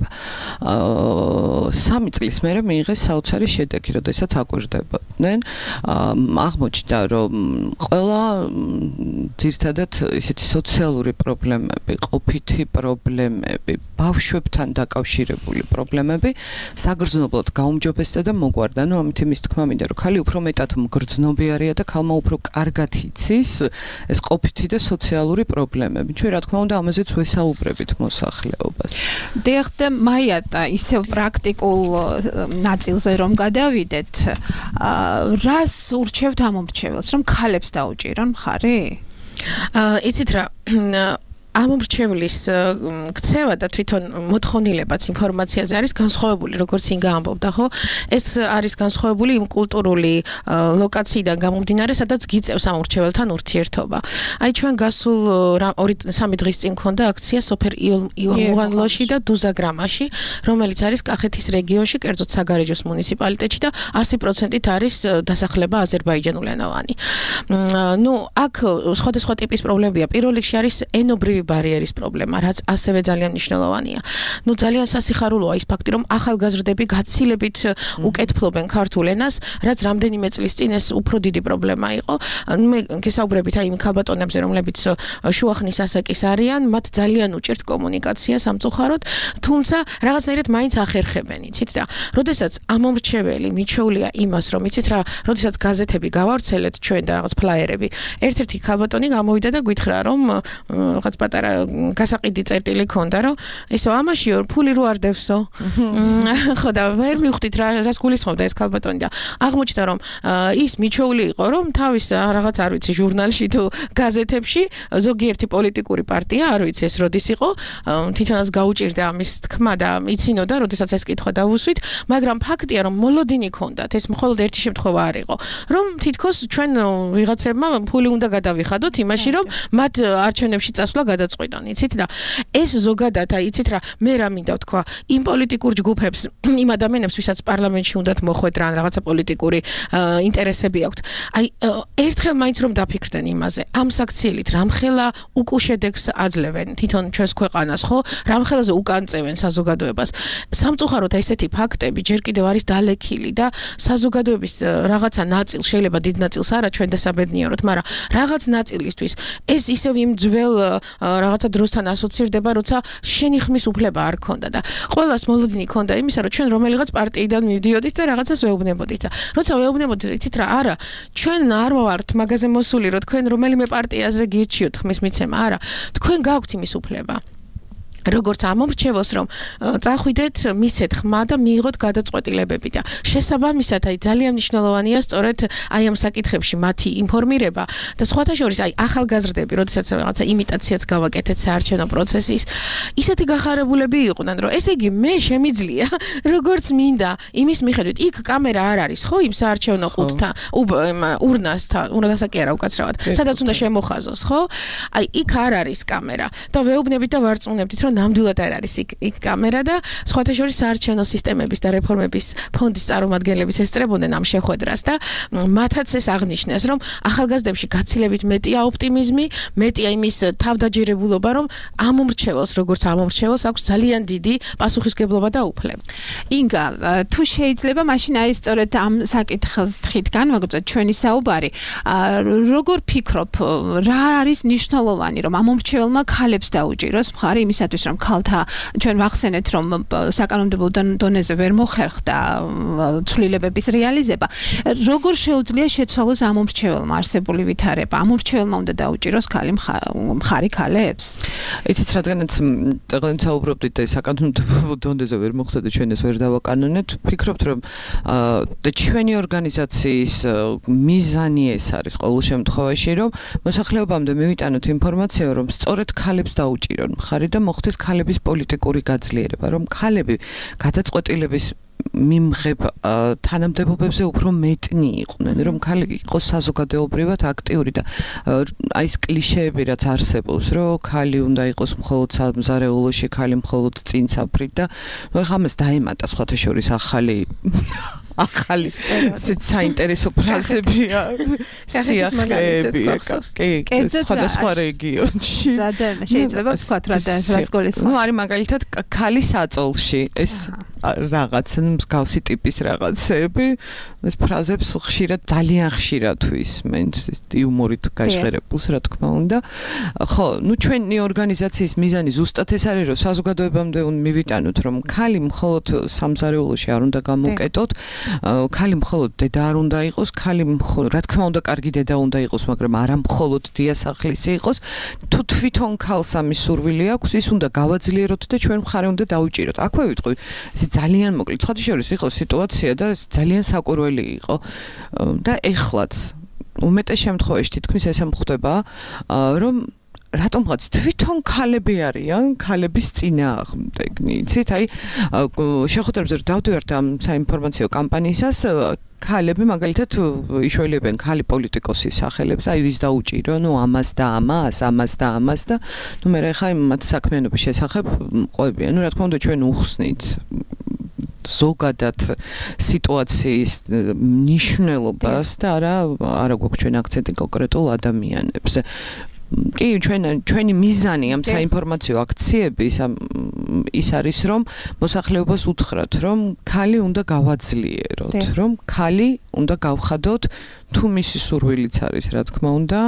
სამი წლის მერე მიიღეს საოცარი შედეგი, როდესაც აკვირდებოდნენ. აღმოჩნდა, რომ ყველა ძირითადად ისეთი სოციალური პრობლემები, ყოფითი პრობლემები, ბავშვებთან დაკავშირებული პრობლემები საგრძნობლად გაუმჯობესდა და მოგვარდა. ნუ ამით იმის თქმა მინდა, რომ ქალი უფრო მეტად მგრძნობიარია და ქალმა უფრო კარგად იცის ეს ყოფითი და სოციალური პრობლემები. ჩვენ რა თქმა უნდა ამაზეც ვესაუბრებით მოსახლეობას. დიახ, და მაიატა ისევ პრაქტიკულ ნაწილზე რომ გადავიდეთ, რას ურჩევთ ამ მომრჩეველს, რომ ქალებს დაუჭირონ მხარი? იცით რა, ამ მრჩევლის ქცევა და თვითონ მოთხოვნილებაც ინფორმაციაზე არის განსხვავებული, როგორც ინგა ამბობდა, ხო? ეს არის განსხვავებული იმ კულტურული ლოკაციიდან გამომდინარე, სადაც გიწევს ამ მრჩეველთან ურთიერთობა. აი ჩვენ გასულ ორი სამი დღის წინ მქონდა აქცია სოფერ იორმუღანლოში და დუზაგრამაში, რომელიც არის კახეთის რეგიონში, კერძოდ საგარეჯოს მუნიციპალიტეტში და ასი პროცენტით არის დასახლება აზერბაიჯანულენოვანი. ნუ აქ სხვადასხვა ტიპის პრობლემებია. პირველ რიგში არის ენობრივი ბარიერის პრობლემა, რაც ასევე ძალიან მნიშვნელოვანია. ნუ ძალიან სასიხარულოა ის ფაქტი, რომ ახალგაზრდები გაცილებით უკეთფლობენ ქართულ ენას, რაც რამდენიმე წლის წინ ეს უფრო დიდი პრობლემა იყო. მე გესაუბრებით აი იმ ქალბატონებზე, რომლებიც შუახნის ასაკის არიან, მათ ძალიან უჭირთ კომუნიკაცია სამწუხაროდ, თუმცა რაღაცნაირად მაინც ახერხებენ, იცით და როდესაც ამომრჩეველი მიჩვეულია იმას, რომ იცით რა, როდესაც გაზეთები გავავრცელეთ ჩვენ და რაღაც ფლაიერები, ერთ-ერთი ქალბატონი გამოვიდა და გითხრა, რომ რაღაც პატარა გასაყიდი წერტილი ქონდა, რომ ისო ამაშიო ფული რო არ დევსო. ხო და ვერ მივხვდით რა რას გულისხმობდა ეს ქალბატონი და აღმოჩნდა, რომ ის მიჩვეული იყო, რომ თავის რაღაც არ ვიცი ჟურნალში თუ გაზეთებში ზოგიერთი პოლიტიკური პარტია, არ ვიცი ეს როდის იყო, თვითონაც გაუჭირდა ამის თქმა და იცინოდა, როდესაც ეს კითხვა დავუსვით, მაგრამ ფაქტია, რომ მოლოდინი ქონდათ, ეს მხოლოდ ერთი შემთხვევა არ იყო, რომ თითქოს ჩვენ ვიღაცებმა ფული უნდა გადავიხადოთ იმაში, რომ მათ არჩევნებში წასვლა გადაწყვიტონ, იცით და ეს ზოგადად, აი, იცით რა, მე რა მინდა ვთქვა, იმ პოლიტიკურ ჯგუფებს, იმ ადამიანებს, ვისაც პარლამენტში უნდათ მოხვედრა ან რაღაცა პოლიტიკური ინტერესები აქვთ. აი, ერთხელ მაინც რომ დაფიქრდნენ იმაზე, ამ საქციელით რამხელა უკუშედეგს აძლევენ თვითონ ჩვენს ქვეყანას, ხო? რამხელაზე უკანწევენ საზოგადოებას. სამწუხაროდ ესეთი ფაქტები ჯერ კიდევ არის დალექილი და საზოგადოების რაღაცა ნაწილს, შეიძლება დიდ ნაწილს არა ჩვენ დასაბედნიეროთ, მაგრამ რაღაც ნაწილისთვის ეს ისევ იმ ძველ რაღაცა დროსთან ასოცირდება, როცა შენი ხმის უფლება არ ქონდა და ყველას მოლოდინი ქონდა იმისა, რომ ჩვენ რომელიღაც პარტიიდან მივდიოდით და რაღაცას ვეუბნებოდით და როცა ვეუბნებოდით, იცით რა, არა, ჩვენ არ ვართ მაგაზე მოსული, რომ თქვენ რომელიმე პარტიაზე გირჩიოთ ხმის მიცემა, არა, თქვენ გაქვთ იმის უფლება. როგორც ამომრჩეველს, რომ წახვიდეთ, მისცეთ ხმა და მიიღოთ გადაწყვეტილებები და შესაბამისად, აი ძალიან მნიშვნელოვანია სწორედ აი ამ საკითხებში მათი ინფორმირება და სხვათა შორის აი ახალგაზრდები, როდესაც რაღაცა იმიტაციაც გავაკეთეთ საარჩევნო პროცესის, ისეთი გახარებულები იყვნენ, რომ ესე იგი მე შემიძლია, როგორც მინდა, იმის მიხედვით, იქ კამერა არ არის, ხო, იმ საარჩევნო ყუთთან, ურნასთან, ურნასა კი არა უკაცრავად, სადაც უნდა შემოხაზოს, ხო? აი იქ არ არის კამერა და ვეუბნებით და ვარწმუნებდით, რომ ნამდვილად არ არის იქ იქ კამერა და სხვათა შორის საარჩევნო სისტემების და რეფორმების ფონდის წარმომადგენლების ესწრებოდნენ ამ შეხვედრას და მათაც ეს აღნიშნეს, რომ ახალგაზრდებში გაცილებით მეტია ოპტიმიზმი, მეტია იმის თავდაჯერებულობა, რომ ამომრჩეველს, როგორც ამომრჩეველს აქვს ძალიან დიდი პასუხისგებლობა და უფლება. ინგა, თუ შეიძლება მაშინ აი სწორედ ამ საკითხს თხით განვაგრძოთ ჩვენი საუბარი, როგორ ფიქრობ, რა არის მნიშვნელოვანი, რომ ამომრჩეველმა ქალებს დაუჭიროს მხარი იმისათვის, რომ ქალთა ჩვენ ვახსენეთ, რომ საკანონმდებლო დონეზე ვერ მოხერხდა ცვლილებების რეალიზება. როგორ შეუძლია შეცვალოს ამომრჩეველმა არსებული ვითარება? ამომრჩეველმა უნდა დაუჭიროს ქალი მხარი ქალებს? იცით, რადგანაც დღეს საუბრობდით და საკანონმდებლო დონეზე ვერ მოხდა და ჩვენ ეს ვერ დავაკანონეთ, ფიქრობთ, რომ და ჩვენი ორგანიზაციის მიზანი ეს არის ყოველ შემთხვევაში, რომ მოსახლეობამდე მივიტანოთ ინფორმაცია, რომ სწორედ ქალებს დაუჭირონ მხარი და მოხდეს ქალების პოლიტიკური გაძლიერება, რომ ქალები გადაწყვეტილების მიმღებ თანამდებობებზე უფრო მეტნი იყვნენ, რომ ქალი იყოს საზოგადოებრივად აქტიური და აი ეს კლიშეები რაც არსებობს, რომ ქალი უნდა იყოს მხოლოდ სამზარეულოში, ქალი მხოლოდ წინ საფრით და ნუ ეხლა ამას დაემატა სხვათა შორის ახალი ახალი საინტერესო ფრაზებია სიახლეები კი სხვადასხვა რეგიონში რა და შეიძლება ვთქვათ რა და რას გულისხმობ ნუ არის მაგალითად ქალი საწოლში ეს რაღაც მსგავსი ტიპის რაღაცები ეს ფრაზებს ხშირად ძალიან ხშირად ვისმენ იუმორით გაჟღერებულს რა თქმა უნდა ხო ნუ ჩვენი ორგანიზაციის მიზანი ზუსტად ეს არის რომ საზოგადოებამდე მივიტანოთ რომ ქალი მხოლოდ სამზარეულოში არ უნდა გამოვკეტოთ ქალი მხოლოდ დედა არ უნდა იყოს, ქალი მხოლოდ, რა თქმა უნდა, კარგი დედა უნდა იყოს, მაგრამ არა მხოლოდ დიასახლისი იყოს. თუ თვითონ ქალს ამის სურვილი აქვს, ის უნდა გავაძლიეროთ და ჩვენ მხარე უნდა დაუჭიროთ. აქვე ვიტყვი, ეს ძალიან მოკლედ. სხვათა შორის იყო სიტუაცია და ძალიან საკურველი იყო და ეხლაც უმეტეს შემთხვევაში თითქმის ესე მხდება, რომ რატომღაც თვითონ ქალები არიან ქალების წინააღმდეგნი. იცით, აი შეხვედრებზე რომ დავდივართ ამ საინფორმაციო კამპანიისას ქალები მაგალითად იშველებენ ქალი პოლიტიკოსის სახელებს, აი ვის დაუჭირო, ნუ ამას და ამას, ამას და ამას და ნუ მე ხა იმ მათ საქმიანობის შესახებ ყვებიან. ნუ რა თქმა უნდა ჩვენ უხსნით ზოგადად სიტუაციის მნიშვნელობას და არა არა გვაქვს ჩვენ აქცენტი კონკრეტულ ადამიანებზე. კი, ჩვენ ჩვენი მიზანი ამ საინფორმაციო აქციების ის არის, რომ მოსახლეობას უთხრათ, რომ ქალი უნდა გავაძლიეროთ, რომ ქალი უნდა გავხადოთ თუ მისი სურვილიც არის, რა თქმა უნდა,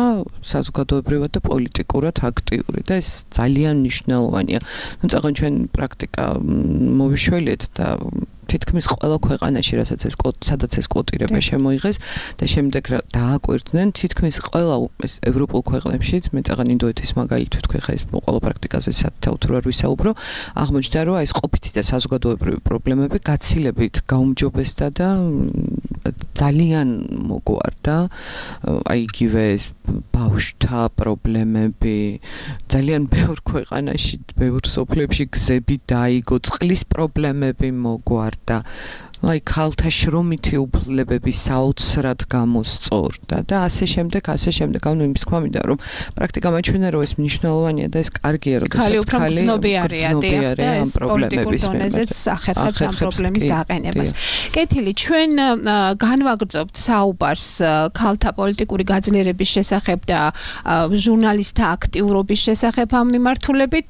საზოგადოებრივად და პოლიტიკურად აქტიური და ეს ძალიან მნიშვნელოვანია. ну, წაღან ჩვენ პრაქტიკა მოვიშველეთ და თითქმის ყველა ქვეყანაში, რასაც ეს სადაც ეს კვოტირება შემოიღეს და შემდეგ დააკვირდნენ, თითქმის ყველა ევროპულ ქვეყნებში, მე წაღან ინდოეთის მაგალითად თქვი ხა ეს ყველა პრაქტიკაზე საერთოდ არ ვისაუბრო, აღმოჩნდა, რომ ეს ყოფითი და საზოგადოებრივი პრობლემები გაცილებით გაუმჯობესდა და ძალიან მოგვარდა, აი იგივე ბავშვთა პრობლემები, ძალიან ბევრ ქვეყანაში, ბევრ სოფლებში გზები დაიგო, წყლის პრობლემები მოგვარდა. აი ქალთა შრომითი უფლებები საოცრად გამოსწორდა და ასე შემდეგ, ასე შემდეგ. ანუ იმის თქვა მინდა, რომ პრაქტიკა მაჩვენა, რომ ეს მნიშვნელოვანია და ეს კარგია, რომ ქალი უფრო გრძნობიარია და ეს პოლიტიკურ დონეზეც ახერხებს ამ პრობლემის დაყენებას. კეთილი, ჩვენ განვაგრძობთ საუბარს ქალთა პოლიტიკური გაძლიერების შესახებ და ჟურნალისტთა აქტიურობის შესახებ ამ მიმართულებით.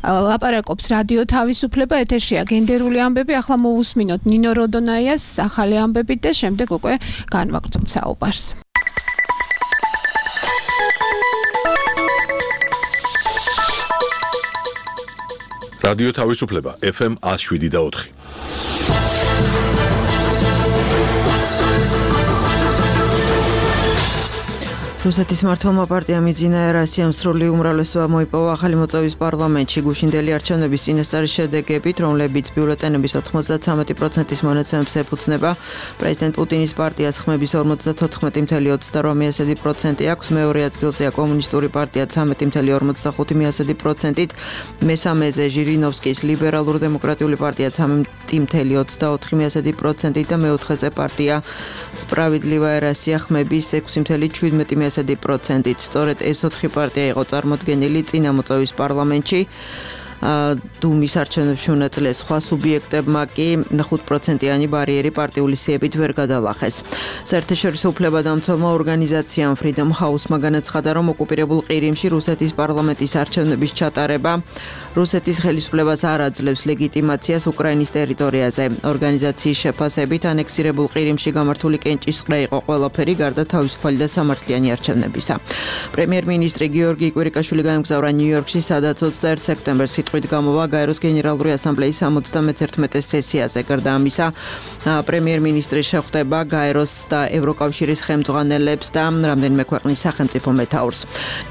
ლაპარაკობს რადიო თავისუფლება, ეთერშია გენდერული ამბები. ახლა მოვუსმინოთ ნინო როდონაიას ახალი ამბებით და შემდეგ უკვე განვაგრძობთ საუბარს. რადიო თავისუფლება ეფ ემ one oh seven და four. რუსეთის მმართველმა პარტიამ იძინა რასიამ სრული უმრავლესობა მოიპოვა ახალი მოწვევის პარლამენტში გუშინდელი არჩევნების წინასწარი შედეგებით, რომლებიც ბიულეტენების ოცდათხმეტ პროცენტის მონაცემებს ეფუძნება. პრეზიდენტ პუტინის პარტიას ხმების ორმოცდათოთხმეტი წამლ ოცდაშვიდი პროცენტი აქვს, მეორე ადგილზეა კომუნისტური პარტია ცხრამეტი წამლ ორმოცდახუთი პროცენტით, მესამეზე ჟირინოვსკის ლიბერალურ-დემოკრატიული პარტია ცხრამეტი წამლ ოცდაოთხი პროცენტით და მეოთხეზე პარტია სპრავედლივაია რასია ხმების ექვსი წამლ შვიდმეტი პროცენტით. სწორედ ეს ოთხი პარტია იყო წარმოდგენილი წინა მოწვევის პარლამენტში. დუმის არჩევნებში მონაწილე სხვა სუბიექტებმა კი ხუთ პროცენტიანი ბარიერი პარტიული სიებით ვერ გადალახეს. საერთაშორისო უფლებადამცველმა ორგანიზაციამ Freedom House-მა განაცხადა, რომ ოკუპირებულ ყირიმში რუსეთის პარლამენტის არჩევნების ჩატარება რუსეთის ხელისუფლებას არ აძლევს ლეგიტიმაციას უკრაინის ტერიტორიაზე. ორგანიზაციის შეფასებით ანექსირებულ ყირიმში გამართული კენჭისყრა იყო ყველაფერი გარდა თავისუფალი და სამართლიანი არჩევნებისა. პრემიერ-მინისტრი გიორგი კვირიკაშვილი გაემგზავრა ნიუ-იორკში, სადაც ოცდაერთი სექტემბერს სიტყვით გამოვა გაეროს გენერალური ასამბლეის სამოცდამეერთმეტე სესიაზე. გარდა ამისა, პრემიერ-მინისტრი შეხვდება გაეროს და ევროკავშირის ხელმძღვანელებს და რამდენიმე ქვეყნის სახელმწიფო მეთაურს.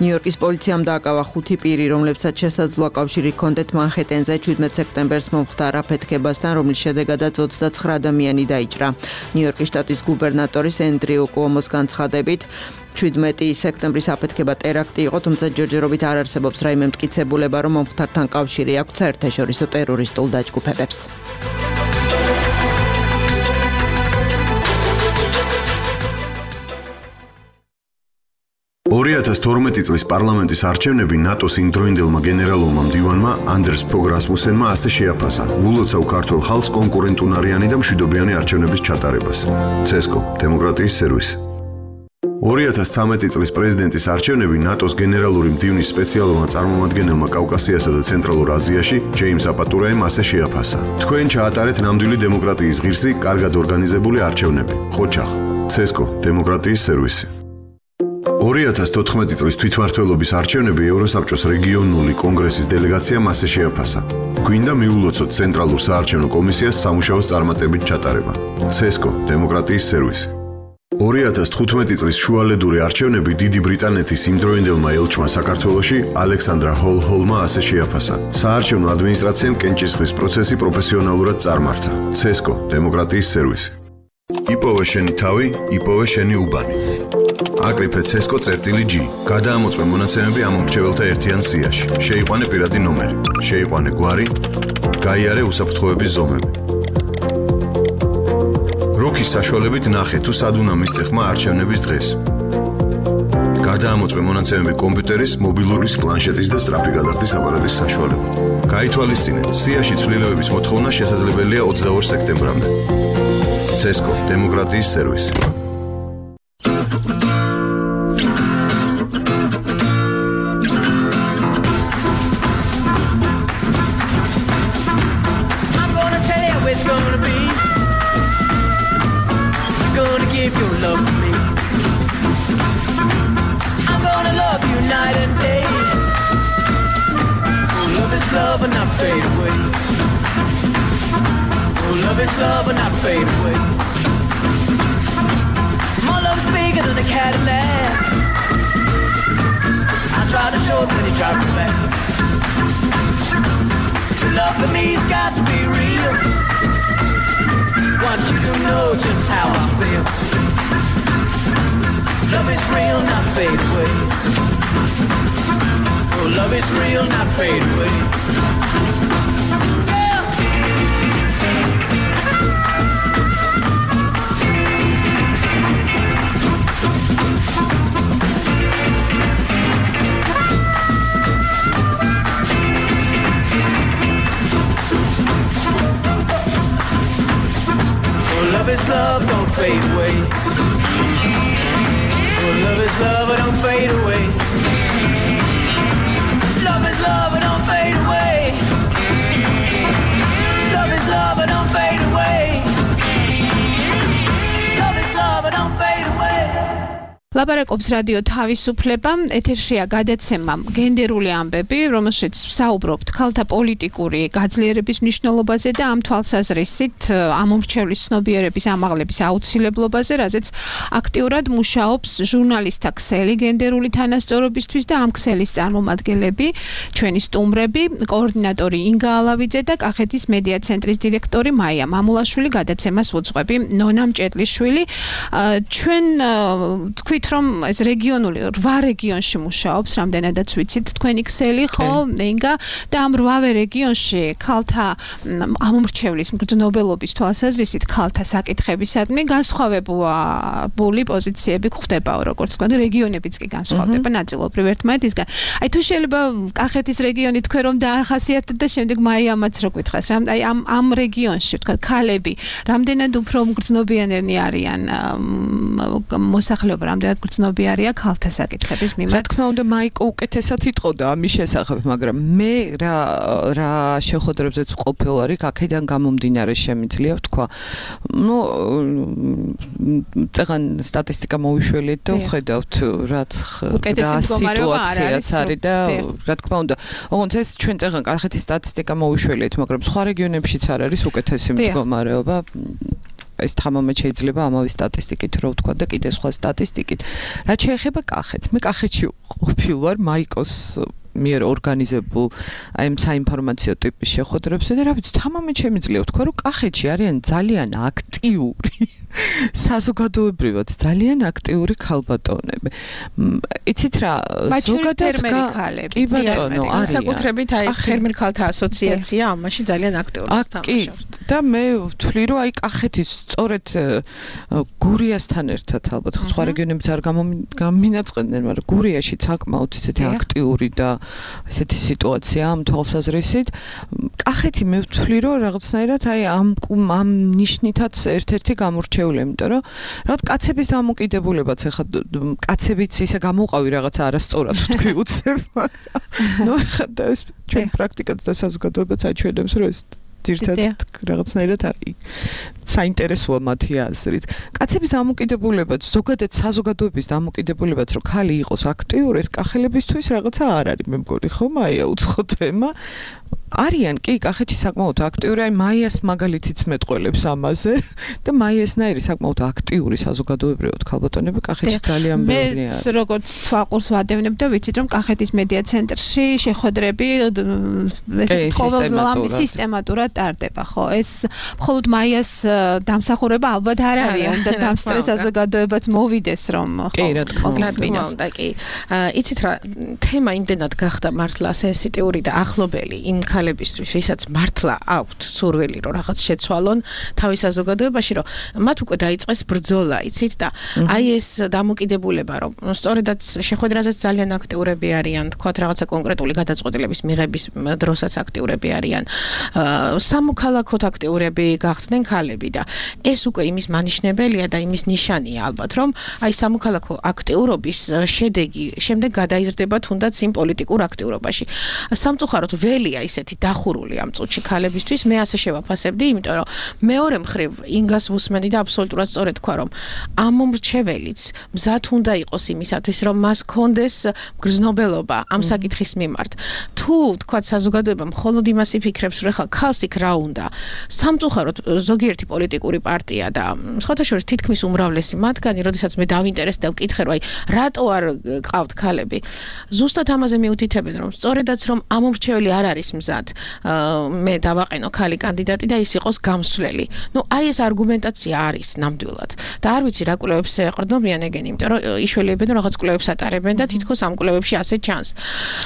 ნიუ-იორკის პოლიციამ დააკავა ხუთი პირი, რომლებსაც შესაძლოა კავშირი ჰქონდეთ მანჰეტენზე შვიდმეტ სექტემბერს მომხდარ აფეთქებასთან, რომლის შედეგადაც ოცდაცხრა ადამიანი დაიჭრა. ნიუ-იორკის შტატის გუბერნატორის ენდრიუ კუომოს განცხადებით, შვიდმეტი სექტემბრის აფეთქება ტერაქტი იყო, თუმცა ჯერჯერობით არ არსებობს რაიმე მტკიცებულება, რომ მომხდართან კავშირი აქვს საერთაშორისო ტერორისტულ დაჯგუფებებს. ორი ათას თორმეტი წლის პარლამენტის არჩევნები ნატოს იმდროინდელმა გენერალურმა მდივანმა ანდერს ფოგ რასმუსენმა ასე შეაფასა ულოცავ ქართულ ხალხს კონკურენტუნარიანი და მშვიდობიანი არჩევნების ჩატარებას. ცესკო, დემოკრატიის სერვისი. ორი ათას ცხრამეტი წლის პრეზიდენტის არჩევნები ნატოს გენერალური მდივნის სპეციალურმა წარმომადგენელმა კავკასიასა და ცენტრალურ აზიაში ჯეიმს აპატურაემ ასე შეაფასა. თქვენ ჩაატარეთ ნამდვილი დემოკრატიის ღირსი, კარგად ორგანიზებული არჩევნები. ხოჩახ, ცესკო, დემოკრატიის სერვისი. ორი ათას თოთხმეტი წლის თვითმმართველობის არჩევნები ევროსაბჭოს რეგიონული კონგრესის დელეგაციამ ასე შეაფასა. გვინდა მიულოცოთ ცენტრალურ საარჩევნო კომისიას სამუშაოს წარმატებით ჩატარება. ცესკო, დემოკრატიის სერვისი. ორი ათას თხუთმეტი წლის შუალედური არჩევნები დიდი ბრიტანეთის იმდროინდელმა ელჩმა საქართველოში ალექსანდრა ჰოლ-ჰოლმა ასე შეაფასა. საარჩევნო ადმინისტრაციამ კენჭისყრის პროცესი პროფესიონალურად წარმართა. ცესკო, დემოკრატიის სერვისი. იპოვე შენი თავი, იპოვე შენი უბანი. აკრიფე ცესკო წერტილი G. გადაამოწმე მონაცემები ამ მრჩეველთა ერთიან სიაში. შეიყვანე პირადი ნომერი. შეიყვანე გვარი. გაიარე უსაფრთხოების ზომები. როქის საშუალებით ნახე თუ სად უნდა მისცე ხმა არჩევნების დღეს. გადაამოწმე მონაცემები კომპიუტერის, მობილურის, პლანშეტის და სწრაფი გადახდის აპარატის საშუალებით. გაითვალისწინე, სიაში ცვლილებების მოთხოვნა შესაძლებელია ოცდაორ სექტემბრამდე. ცესკო, დემოკრატიის სერვისი. fade away. My love's bigger than a Cadillac. I tried to show it, but he tried to back. The love for me's got to be real. Want you to know just how I feel. Love is real, not fade away. Oh, love is real, not fade away. Love is love, don't fade away. Oh, love is love, don't fade away. Love is love, don't fade away. Love is love, don't fade away. Love is love, don't fade away. ლაპარაკობს რადიო თავისუფლება, ეთერშია გადაცემა გენდერული ამბები, რომელშიც ვსაუბრობთ ქალთა პოლიტიკური გაძლიერების მნიშვნელობაზე და ამ თვალსაზრისით ამომრჩევლის ცნობიერების ამაღლების აუცილებლობაზე, რაზეც აქტიურად მუშაობს ჟურნალისტთა ქსელი გენდერული თანასწორობისთვის და ამ ქსელის წარმომადგენლები, ჩვენი სტუმრები, კოორდინატორი ინგა ალავიძე და კახეთის მედია ცენტრის დირექტორი მაია მამულაშვილი, გადაცემას უძღვები ნონა მჭედლიშვილი. ჩვენ თქვით რომ ეს რეგიონული რვა რეგიონში მუშაობს, რამდენადაც ვიცით თქვენი ქსელი, ხო, ინგა და ამ რვავე რეგიონში ქალთა ამომრჩევლის მგრძნობელობის თვალსაზრისით ქალთა საკითხებისადმი განსხვავებული პოზიციები გვხვდებაო, როგორც თქვა, რეგიონებიც კი განსხვავდება ნაწილობრივ ერთმანეთისგან. აი თუ შეიძლება კახეთის რეგიონი თქვენ რომ დაახასიათეთ და შემდეგ მაიამაც რო გითხრას, აი ამ ამ რეგიონში თქვა ქალები რამდენად უფრო მგრძნობიანნი არიან მოსახლეობა, რამდენად გრძნობიარია ქალთა საკითხების მიმართ. რა თქმა უნდა, მაიკო უკეთესად იტყოდა ამის შესახებ, მაგრამ მე რა რა შეხვედრებზეც ყოფილ ვარ, აქედან გამომდინარე შემიძლია ვთქვა. ნუ წეგან სტატისტიკა მოვიშველეთ და ვხედავთ რაც რა სიტუაციაც არის და რა თქმა უნდა, ოღონდ ეს ჩვენ წეგან კახეთის სტატისტიკა მოვიშველეთ, მაგრამ სხვა რეგიონებშიც არ არის უკეთესი მდგომარეობა. ეს თამამად შეიძლება ამავე სტატისტიკით რო ვთქვა და კიდე სხვა სტატისტიკით. რაც შეეხება კახეთს, მე კახეთში ყოფილ ვარ მაიკოს მიერ ორგანიზებულ აი ამ საინფორმაციო ტიპის შეხვედრებზე და რა ვიცი, თამამად შემიძლია ვთქვა, რომ კახეთში არიან ძალიან აქტიური საზოგადოებრივად ძალიან აქტიური ქალბატონები. იცით რა, ზოგადად კი ბატონო, არის საკუთრებით აი ეს ფერმერ ქალთა ასოციაცია ამაში ძალიან აქტიურად თამაშობს. და მე ვთვლი, რომ აი კახეთის სწორედ გურიასთან ერთად ალბათ სხვა რეგიონებიც არ გამინაწყდნენ, მაგრამ გურიაში საკმაოდ ისეთი აქტიური და ესეთი სიტუაცია ამ თვალსაზრისით. კახეთი მე ვთვლი, რომ რაღაცნაირად აი ამ ამ ნიშნითაც ერთ-ერთი გამორჩეული, იმიტომ რომ რაღაც კაცების დამოკიდებულებაც ახლა კაცებიც ისე გამოყავი რაღაცა არასწორად თქვი უცებ. ნუ ახლა და ეს ჩვენ პრაქტიკაც და საზოგადოებაც აჩვენებს, რომ ეს ძირთადად რაღაცნაირად საინტერესოა მათი აზრით. კაცების დამოკიდებულებაც, ზოგადად საზოგადოების დამოკიდებულებაც, რომ ქალი იყოს აქტიური, ეს კახელებისთვის რაღაცა არ არის, მე მგონი, ხო, მაია უცხო თემა. არიან კი კახეთში საკმაოდ აქტიური, აი მაიას მაგალითიც მეტყველებს ამაზე და მაიასნაირი საკმაოდ აქტიური საზოგადოებრივად ქალბატონები კახეთში ძალიან ბევრია. მე როგორც თვალყურს ვადევნებ და ვიცით რომ კახეთის მედია ცენტრში შეხვედრები ესე ყოველდღიურად სისტემატურად ტარდება, ხო? ეს მხოლოდ მაიას დამსახურება ალბათ არ არის, უნდა დამსწრე საზოგადოებაც მოვიდეს რომ ხო. კი, რა თქმა უნდა, კი. იცით რა, თემა იმდენად გახდა მართლა სენსიტიური და ახლობელი იმ ქალებისთვის, ვისაც მართლა აქვთ სურვილი, რომ რაღაც შეცვალონ თავის საზოგადოებაში, რომ მათ უკვე დაიწყეს ბრძოლა, იცით და აი ეს დამოკიდებულება, რომ სწორედაც შეხვედრაზეც ძალიან აქტიურები არიან, თქვათ რაღაცა კონკრეტული გადაწყვეტილების მიღების დროსაც აქტიურები არიან. სამოქალაქოდ აქტიურები გახდნენ ქალები და ეს უკვე იმის მანიშნებელია და იმის ნიშანია ალბათ, რომ აი სამოქალაქო აქტიურობის შედეგი შემდეგ გადაიზრდება თუნდაც იმ პოლიტიკურ აქტიურობაში. სამწუხაროდ ველია ისეთი არაერთი დახურული ამ წუთში ქალებისთვის მე ასე შევაფასებდი, იმიტომ რომ მეორე მხრივ ინგას ვუსმენდი და აბსოლუტურად სწორედ თქვა, რომ ამ მომრჩეველიც მზად უნდა იყოს იმისათვის, რომ მას კონდეს გრძნობელობა ამ საკითხის მიმართ. თუ თქვა საზოგადოება მხოლოდ იმას იფიქრებს, რომ ხა ქალს იქ რა უნდა, სამწუხაროდ ზოგიერთი პოლიტიკური პარტია და სხვათა შორის თითქმის უმრავლესი მათგანი, როდესაც მე დავინტერესდი და ვკითხე, რომ აი რატო არ ყავთ ქალები, ზუსტად ამაზე მიუთითებენ, რომ სწორედაც რომ ამ მომრჩეველი არ არის მზად, მე დავაყენო ქალი კანდიდატი და ის იყოს გამსვლელი. ნუ აი ეს არგუმენტაცია არის ნამდვილად. და არ ვიცი რა კვლევებს ეყრდნობიან ეგენი, იმიტომ რომ იშველებენ რაღაც კვლევებს ატარებენ და თითქოს ამ კვლევებში ასე ჩანს.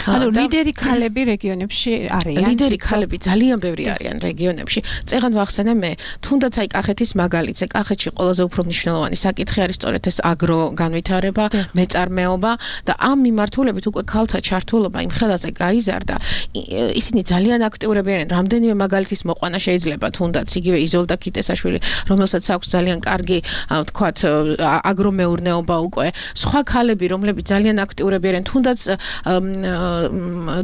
ანუ ლიდერი ქალები რეგიონებში არიან. ლიდერი ქალები ძალიან ბევრი არიან რეგიონებში. წეგან ვახსენე მე, თუნდაც აი კახეთის მაგალითზე, კახეთში ყველაზე უფრო მნიშვნელოვანი საკითხი არის სწორედ ეს აგრო განვითარება, მეწარმეობა და ამ მიმართულებით უკვე ქალთა ჩართულობა იმ ხელაზე გაიზარდა. ისინი ძალიან აქტიურები არიან. რამდენიმე მაგალითის მოყვანა შეიძლება თუნდაც იგივე იზოლდა ქიტესაშვილი, რომელსაც აქვს ძალიან კარგი, ვთქვათ, აგრომეურნეობა უკვე. სხვა ქალები, რომლებიც ძალიან აქტიურები არიან, თუნდაც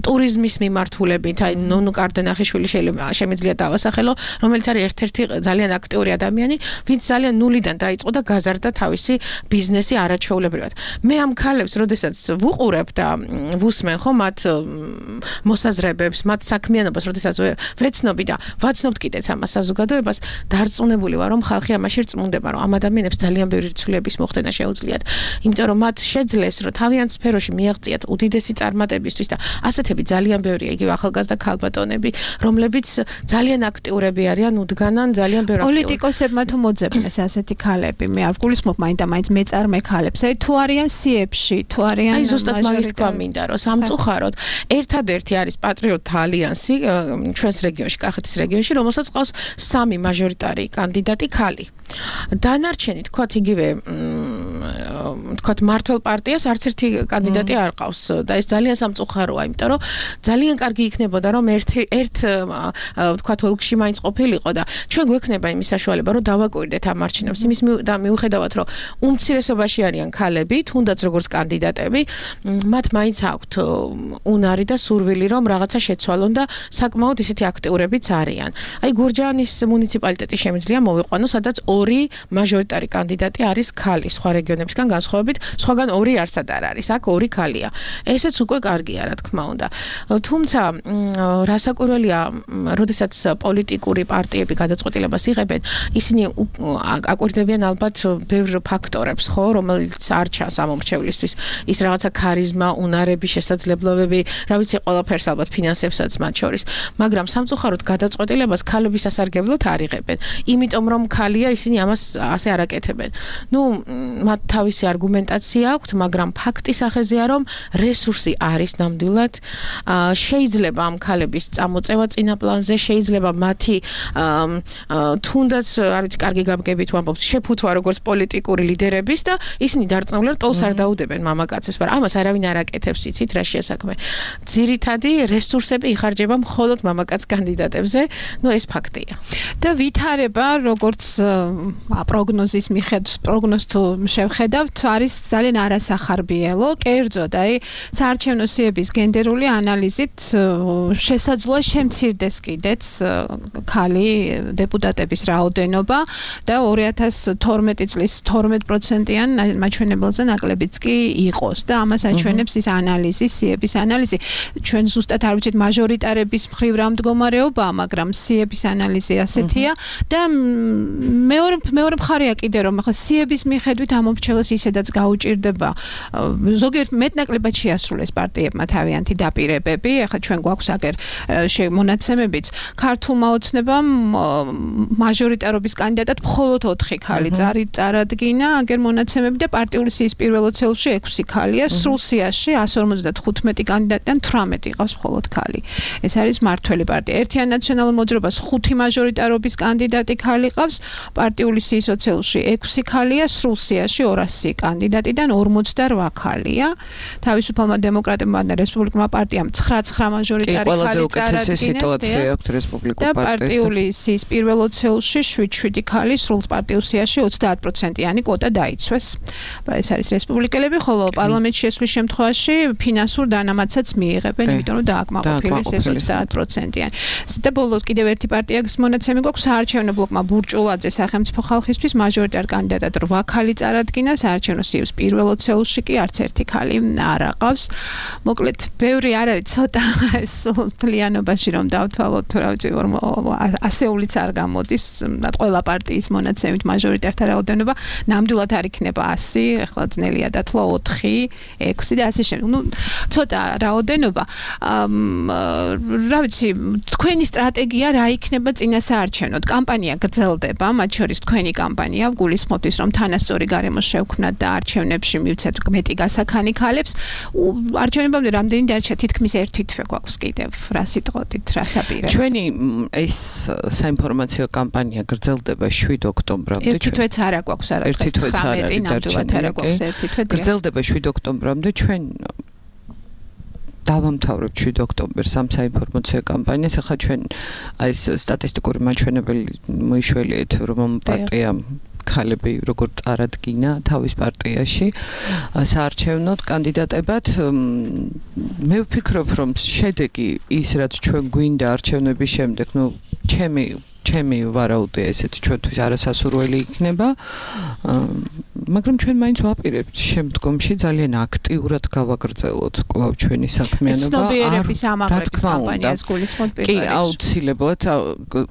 ტურიზმის მიმართულებით, აი ნონუ კარდენახიშვილი შეიძლება შემიძლია დავასახელო, რომელიც არის ერთ-ერთი ძალიან აქტიური ადამიანი, ვინც ძალიან ნულიდან დაიწყო და გაზარდა თავისი ბიზნესი არაჩვეულებრივად. მე ამ ქალებს, როდესაც ვუყურებ და ვუსმენ ხო მათ მოსაზრებებს, მათ საქმიანობას, როდესაც ვეცნობი და ვაცნობთ კიდეც ამას საზოგადოებას, დარწმუნებული ვარ, რომ ხალხი ამაში რწმუნდება, რომ ამ ადამიანებს ძალიან ბევრი ცვლილების მოხდენა შეუძლიათ. იმიტომ რომ მათ შეძლეს, რომ თავიანთ სფეროში მიაღწიათ უდიდესი წარმატებისთვის და ასეთები ძალიან ბევრია, იგივე ახალგაზრდა ქალბატონები, რომლებიც ძალიან აქტიურები არიან, უდგანან ძალიან ბევრ აქტიურ. პოლიტიკოსებმა თუ მოძებნეს ასეთი ქალები, მე არ გულისხმობ მაინდა მაინც მეწარმე ქალებს, აი თუ არიან სიებში, თუ არიან აი ზუსტად მაგის თქვა მინდა, რომ სამწუხაროდ ერთადერთი არის პატრიოტთა ალიანსი ჩვენს რეგიონში, კახეთის რეგიონში, რომელსაც ყავს სამი მაჟორიტარი კანდიდატი ქალი. დანარჩენი თქვათ იგივე თქვათ მართლ პარტიას არც ერთი კანდიდატი არ ყავს და ეს ძალიან სამწუხაროა, იმიტომ რომ ძალიან კარგი იქნებოდა, რომ ერთ ერთ თქვათ ოლქში მაინც ყოფილიყო და ჩვენ გვექნება იმის საშუალება, რომ დავაკვირდეთ ამ არჩევნებს, იმის და მიუხედავად, რომ უმცირესობაში არიან ქალები, თუნდაც როგორც კანდიდატები, მათ მაინც აქვთ უნარი და სურვილი, რომ რაღაცა შეცვალონ და საკმაოდ ისეთი აქტიურებიც არიან. აი გურჯაანის მუნიციპალიტეტი შემიძლია მოვიყვანო, სადაც ორი მაჟორიტარი კანდიდატი არის ქალი, სხვა რეგიონებისგან განსხვავებით, სხვაგან ორი არსად არ არის, აქ ორი ქალია. ესეც უკვე კარგია, რა თქმა უნდა. თუმცა რასაკვირველია, როდესაც პოლიტიკური პარტიები გადაწყვეტილებას იღებენ, ისინი აკვირდებიან ალბათ ბევრ ფაქტორებს, ხო, რომელიც არ ჩანს ამ მომრჩევლისთვის. ის რაღაცა ქარიზმა, უნარები, შესაძლებლობები, რა ვიცი, ყველაფერს ალბათ ფინანსებსაც მათ შორის. მაგრამ სამწუხაროდ გადაწყვეტილებას ქალების სასარგებლოდ არ იღებენ. იმიტომ რომ ქალია, ისინი ამას ასე არ აკეთებენ. ნუ მათ თავისი არგუმენტაცია აქვთ, მაგრამ ფაქტი სახეზეა, რომ რესურსი არის ნამდვილად. შეიძლება ამ ქალების წამოწევა წინა პლანზე, შეიძლება მათი თუნდაც არ ვიცი, კარგი გამგებით ვამბობთ, შეფუთვა როგორც პოლიტიკური ლიდერების და ისინი დარწმუნებულად ტოლს არ დაუდებენ მამაკაცებს, მაგრამ ამას არავინ არ აკეთებს, იცით რა შეასაქმე. ძირითადი რესურსები იხარჯება მხოლოდ მამაკაც კანდიდატებზე, ნუ ეს ფაქტია. და ვითარება, როგორც პროგნოზის მიხედვით, პროგნოზ თუ შევხედავთ, არის ძალიან არასახარბიელო, კერძოდ, აი, საარჩევნო სიების გენდერული ანალიზით შესაძლოა შემცირდეს კიდეც ქალი დეპუტატების რაოდენობა და ორი ათას თორმეტი წლის თორმეტ პროცენტიან მაჩვენებელზე ნაკლებიც კი იყოს და ამას აჩვენებს ის ანალიზი, სიების ანალიზი. ჩვენ ზუსტად არ ვიცით მაჟორიტარების მხრივ რა მდგომარეობაა, მაგრამ სიების ანალიზი ასეთია და მეორე მეორე მხარეა კიდე რომ ახლა სიების მიხედვით ამ მომრჩეველს ისედაც გაუჭირდება ზოგიერთ მეტნაკლებად შეასრულეს პარტიებმა თავიანთი დაპირებები. ახლა ჩვენ გვაქვს აგერ მონაცემებიც, ქართულმა ოცნებამ მაჟორიტარობის კანდიდატად მხოლოდ ოთხი ქალი წარადგინა, აგერ მონაცემები და პარტიული სიის პირველ ოცეულში ექვსი ქალია, სრულ სიაში εκατს ორმოცდათხუთმეტი კანდიდატიდან თვრამეტი ყავს მხოლოდ ქალი. ეს არის მართველი პარტია. ერთიან ნაციონალურ მოძრაობას ხუთი მაჟორიტარობის კანდიდატი ქალი ყავს, პარტიული სიის ოცეულში ექვსი ქალია, სრულ სიაში ორასი კანდიდატიდან ორმოცდაოთხ ქალია. თავისუფალმა დემოკრატებმა და რესპუბლიკურმა პარტიამ ცხრა მაჟორიტარი ხალი წარადგინეს სიტუაცია აქვს რესპუბლიკურ და პარტიას პარტიული სიის პირველ ოცეულში შვიდ ქალი სრულ პარტიულ სიაში ოცდაათ პროცენტიანი კვოტა დაიცვეს. ეს არის რესპუბლიკელები, ხოლო პარლამენტში შესვლის შემთხვევაში ფინანსურ დანამატსაც მიიღებენ, იმიტომ რომ დააკმაყოფილეს ეს ოცდაათ პროცენტიანი. და ბოლოს კიდევ ერთი პარტიის მონაცემი გვაქვს საარჩევნო ბლოკმა ბურჭულაძე სახელმწიფო ხალხისთვის მაჟორიტარ კანდიდატად რვა ქალი წარადგინა, საარჩევნო სიის პირველ ოცეულში კი არც ერთი ქალი არ აყავს. მოკლედ, ბევრი არ არის, ცოტა ეს მთლიანობაში რომ დავთვალოთ, თუ რა ვიცი, ასეულიც არ გამოდის ყველა პარტიის მონაცემით მაჟორიტართა რაოდენობა, ნამდვილად არ იქნება ასი, ახლა ძნელია დათვლა ოთხი, ექვსი და ასე შემდეგ. ნუ ცოტა რაოდენობა. რა ვიცი, თქვენი სტრატეგია რა იქნება წინა საარჩევნოდ? კამპანია გრძელდება, მათ შორის თქვენი კამპანია, გულისხმობთ ის, რომ თანასწორი გარემო შევქმნათ და არჩევნებში მივცეთ მეტი გასაქანი ქალებს. არჩევნებამდე რამდენი დარჩა? თითქმის ერთი თვე გვაქვს კიდევ. რა სიტყვით, რა საპირე? ჩვენი ეს საინფორმაციო კამპანია გრძელდება შვიდ ოქტომბრამდე. ერთი თვეც არა გვაქვს, არა დღეს ცხრამეტი, ნამდვილად არა გვაქვს ერთი თვე. გრძელდება შვიდ ოქტომბრამდე. ჩვენ დავამთავრებთ შვიდ ოქტომბერს ამ საინფორმაციო კამპანიას. ახლა ჩვენ აი ეს სტატისტიკური მაჩვენებელი მოიშველიეთ, რომ პარტიამ ქალები როგორ წარადგინა თავის პარტიაში საარჩევნოდ კანდიდატებად. მე ვფიქრობ, რომ შედეგი ის, რაც ჩვენ გვინდა არჩევნების შემდეგ, ნუ ჩემი ჩემი ვარაუდია ესეთი ჩვენთვის არასასურველი იქნება, მაგრამ ჩვენ მაინც ვაპირებთ შემდგომში ძალიან აქტიურად გავაგრძელოთ კვლავ ჩვენი საქმიანობა. ცნობიერების ამაღლების კამპანიას გულისხმობთ პირველ რიგში. კი, აუცილებლად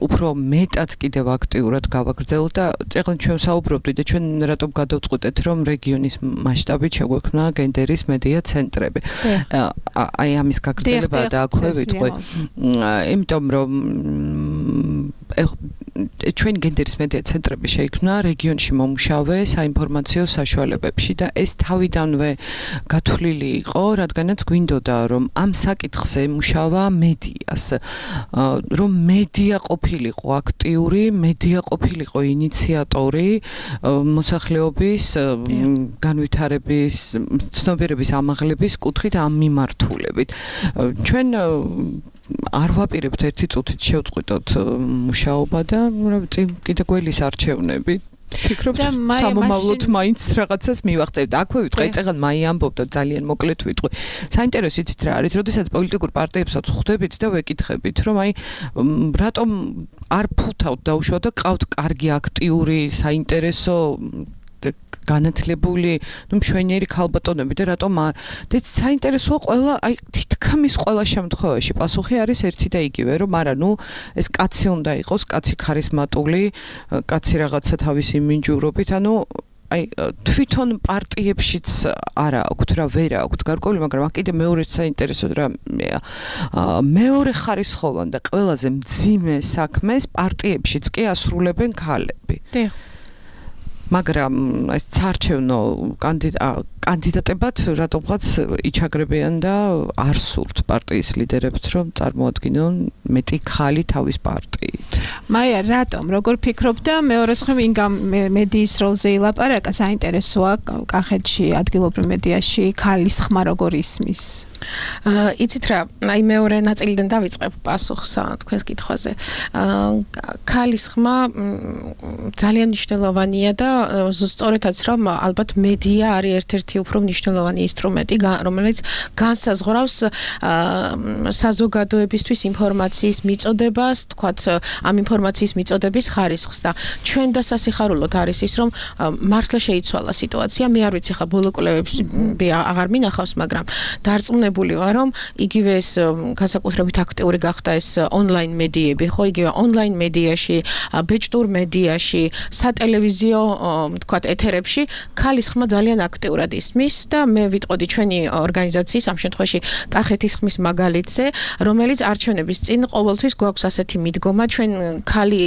უფრო მეტად კიდევ აქტიურად გავაგრძელოთ და წეგნ ჩვენ საუბრობდით და ჩვენ რატომ გადავწყვეტეთ, რომ რეგიონის მასშტაბით შეგვექმნა გენდერის მედია ცენტრები. აი ამის გაგრძელება და აქვე ვიტყვი. იმიტომ რომ ჩვენ გენდერის მედია ცენტრები შეიქმნა რეგიონში მომუშავე საინფორმაციო საშუალებებში და ეს თავიდანვე გათვლილი იყო, რადგანაც გვინდოდა რომ ამ საკითხზე ემუშავა მედიას, რომ მედია ყოფილიყო აქტიური, მედია ყოფილიყო ინიციატორი მოსახლეობის განვითარების, ცნობიერების ამაღლების კუთხით ამ მიმართულებით. ჩვენ არ ვაპირებთ ერთი წუთით შევწყვიტოთ მუშაობა და რა ვიცი, კიდე გველის არჩევნები. ფიქრობთ, სამომავლოდ მაინც რაღაცას მივახცევთ. აქვე ვიტყვი, წეგან მაი ამბობდა ძალიან მოკლედ ვიტყვი. საინტერესო იცით რა არის, როდესაც პოლიტიკურ პარტიებსაც ხვდებით და ვეკითხებით, რომ აი რატომ არ ფუთავთ დაუშვათ და ყავთ კარგი აქტიური, საინტერესო განათლებული, ნუ მშვენიერი ქალბატონები და რატომ არ? და საინტერესოა ყველა, აი თითქმის ყველა შემთხვევაში პასუხი არის ერთი და იგივე, რომ არა, ნუ ეს კაცი უნდა იყოს, კაცი ქარიზმატული, კაცი რაღაცა თავისი მინჯურობით, ანუ აი თვითონ პარტიებშიც არა აქვთ რა, ვერ აქვთ გარკვეული, მაგრამ აქ კიდე მეორე საინტერესო რამეა. მეორე ხარისხოვან და ყველაზე მძიმე საქმეს პარტიებშიც კი ასრულებენ ქალები. დიახ. მაგრამ ეს საარჩევნო კანდიდატებად რატომღაც იჩაგრებიან და არ სურთ პარტიის ლიდერებს, რომ წარმოადგინონ მეტი ქალი თავის პარტიით. მაია, რატომ? როგორ ფიქრობ და მეორე მხრივ ინგამ მედიის როლზე ილაპარაკა, საინტერესოა კახეთში, ადგილობრივ მედიაში ქალის ხმა როგორ ისმის? იცით რა, აი მეორე ნაწილიდან დავიწყებ პასუხს თქვენს კითხვაზე. ქალის ხმა ძალიან მნიშვნელოვანია და სწორედაც რომ ალბათ მედია არის ერთ-ერთი უფრო მნიშვნელოვანი ინსტრუმენტი, რომელიც განსაზღვრავს საზოგადოებისთვის ინფორმაციის მიწოდებას, თქვათ ამ ინფორმაციის მიწოდების ხარისხს და ჩვენ და სასიხარულოდ არის ის, რომ მართლა შეიცვალა სიტუაცია. მე არ ვიცი ხა ბოლო კვლევებში აღარ მინახავს, მაგრამ დარწმუნებული ვარ, რომ იგივე ეს განსაკუთრებით აქტიური გახდა ეს ონლაინ მედიები, ხო, იგივე ონლაინ მედიაში, ბეჭდურ მედიაში, სატელევიზიო თქვათ ეთერებში ქალის ხმა ძალიან აქტიურად ისმის და მე ვიტყოდი ჩვენი ორგანიზაციის ამ შემთხვევაში კახეთის ხმის მაგალითზე, რომელიც არჩევნების წინ ყოველთვის გვაქვს ასეთი მიდგომა, ჩვენ ჩვენ ქალი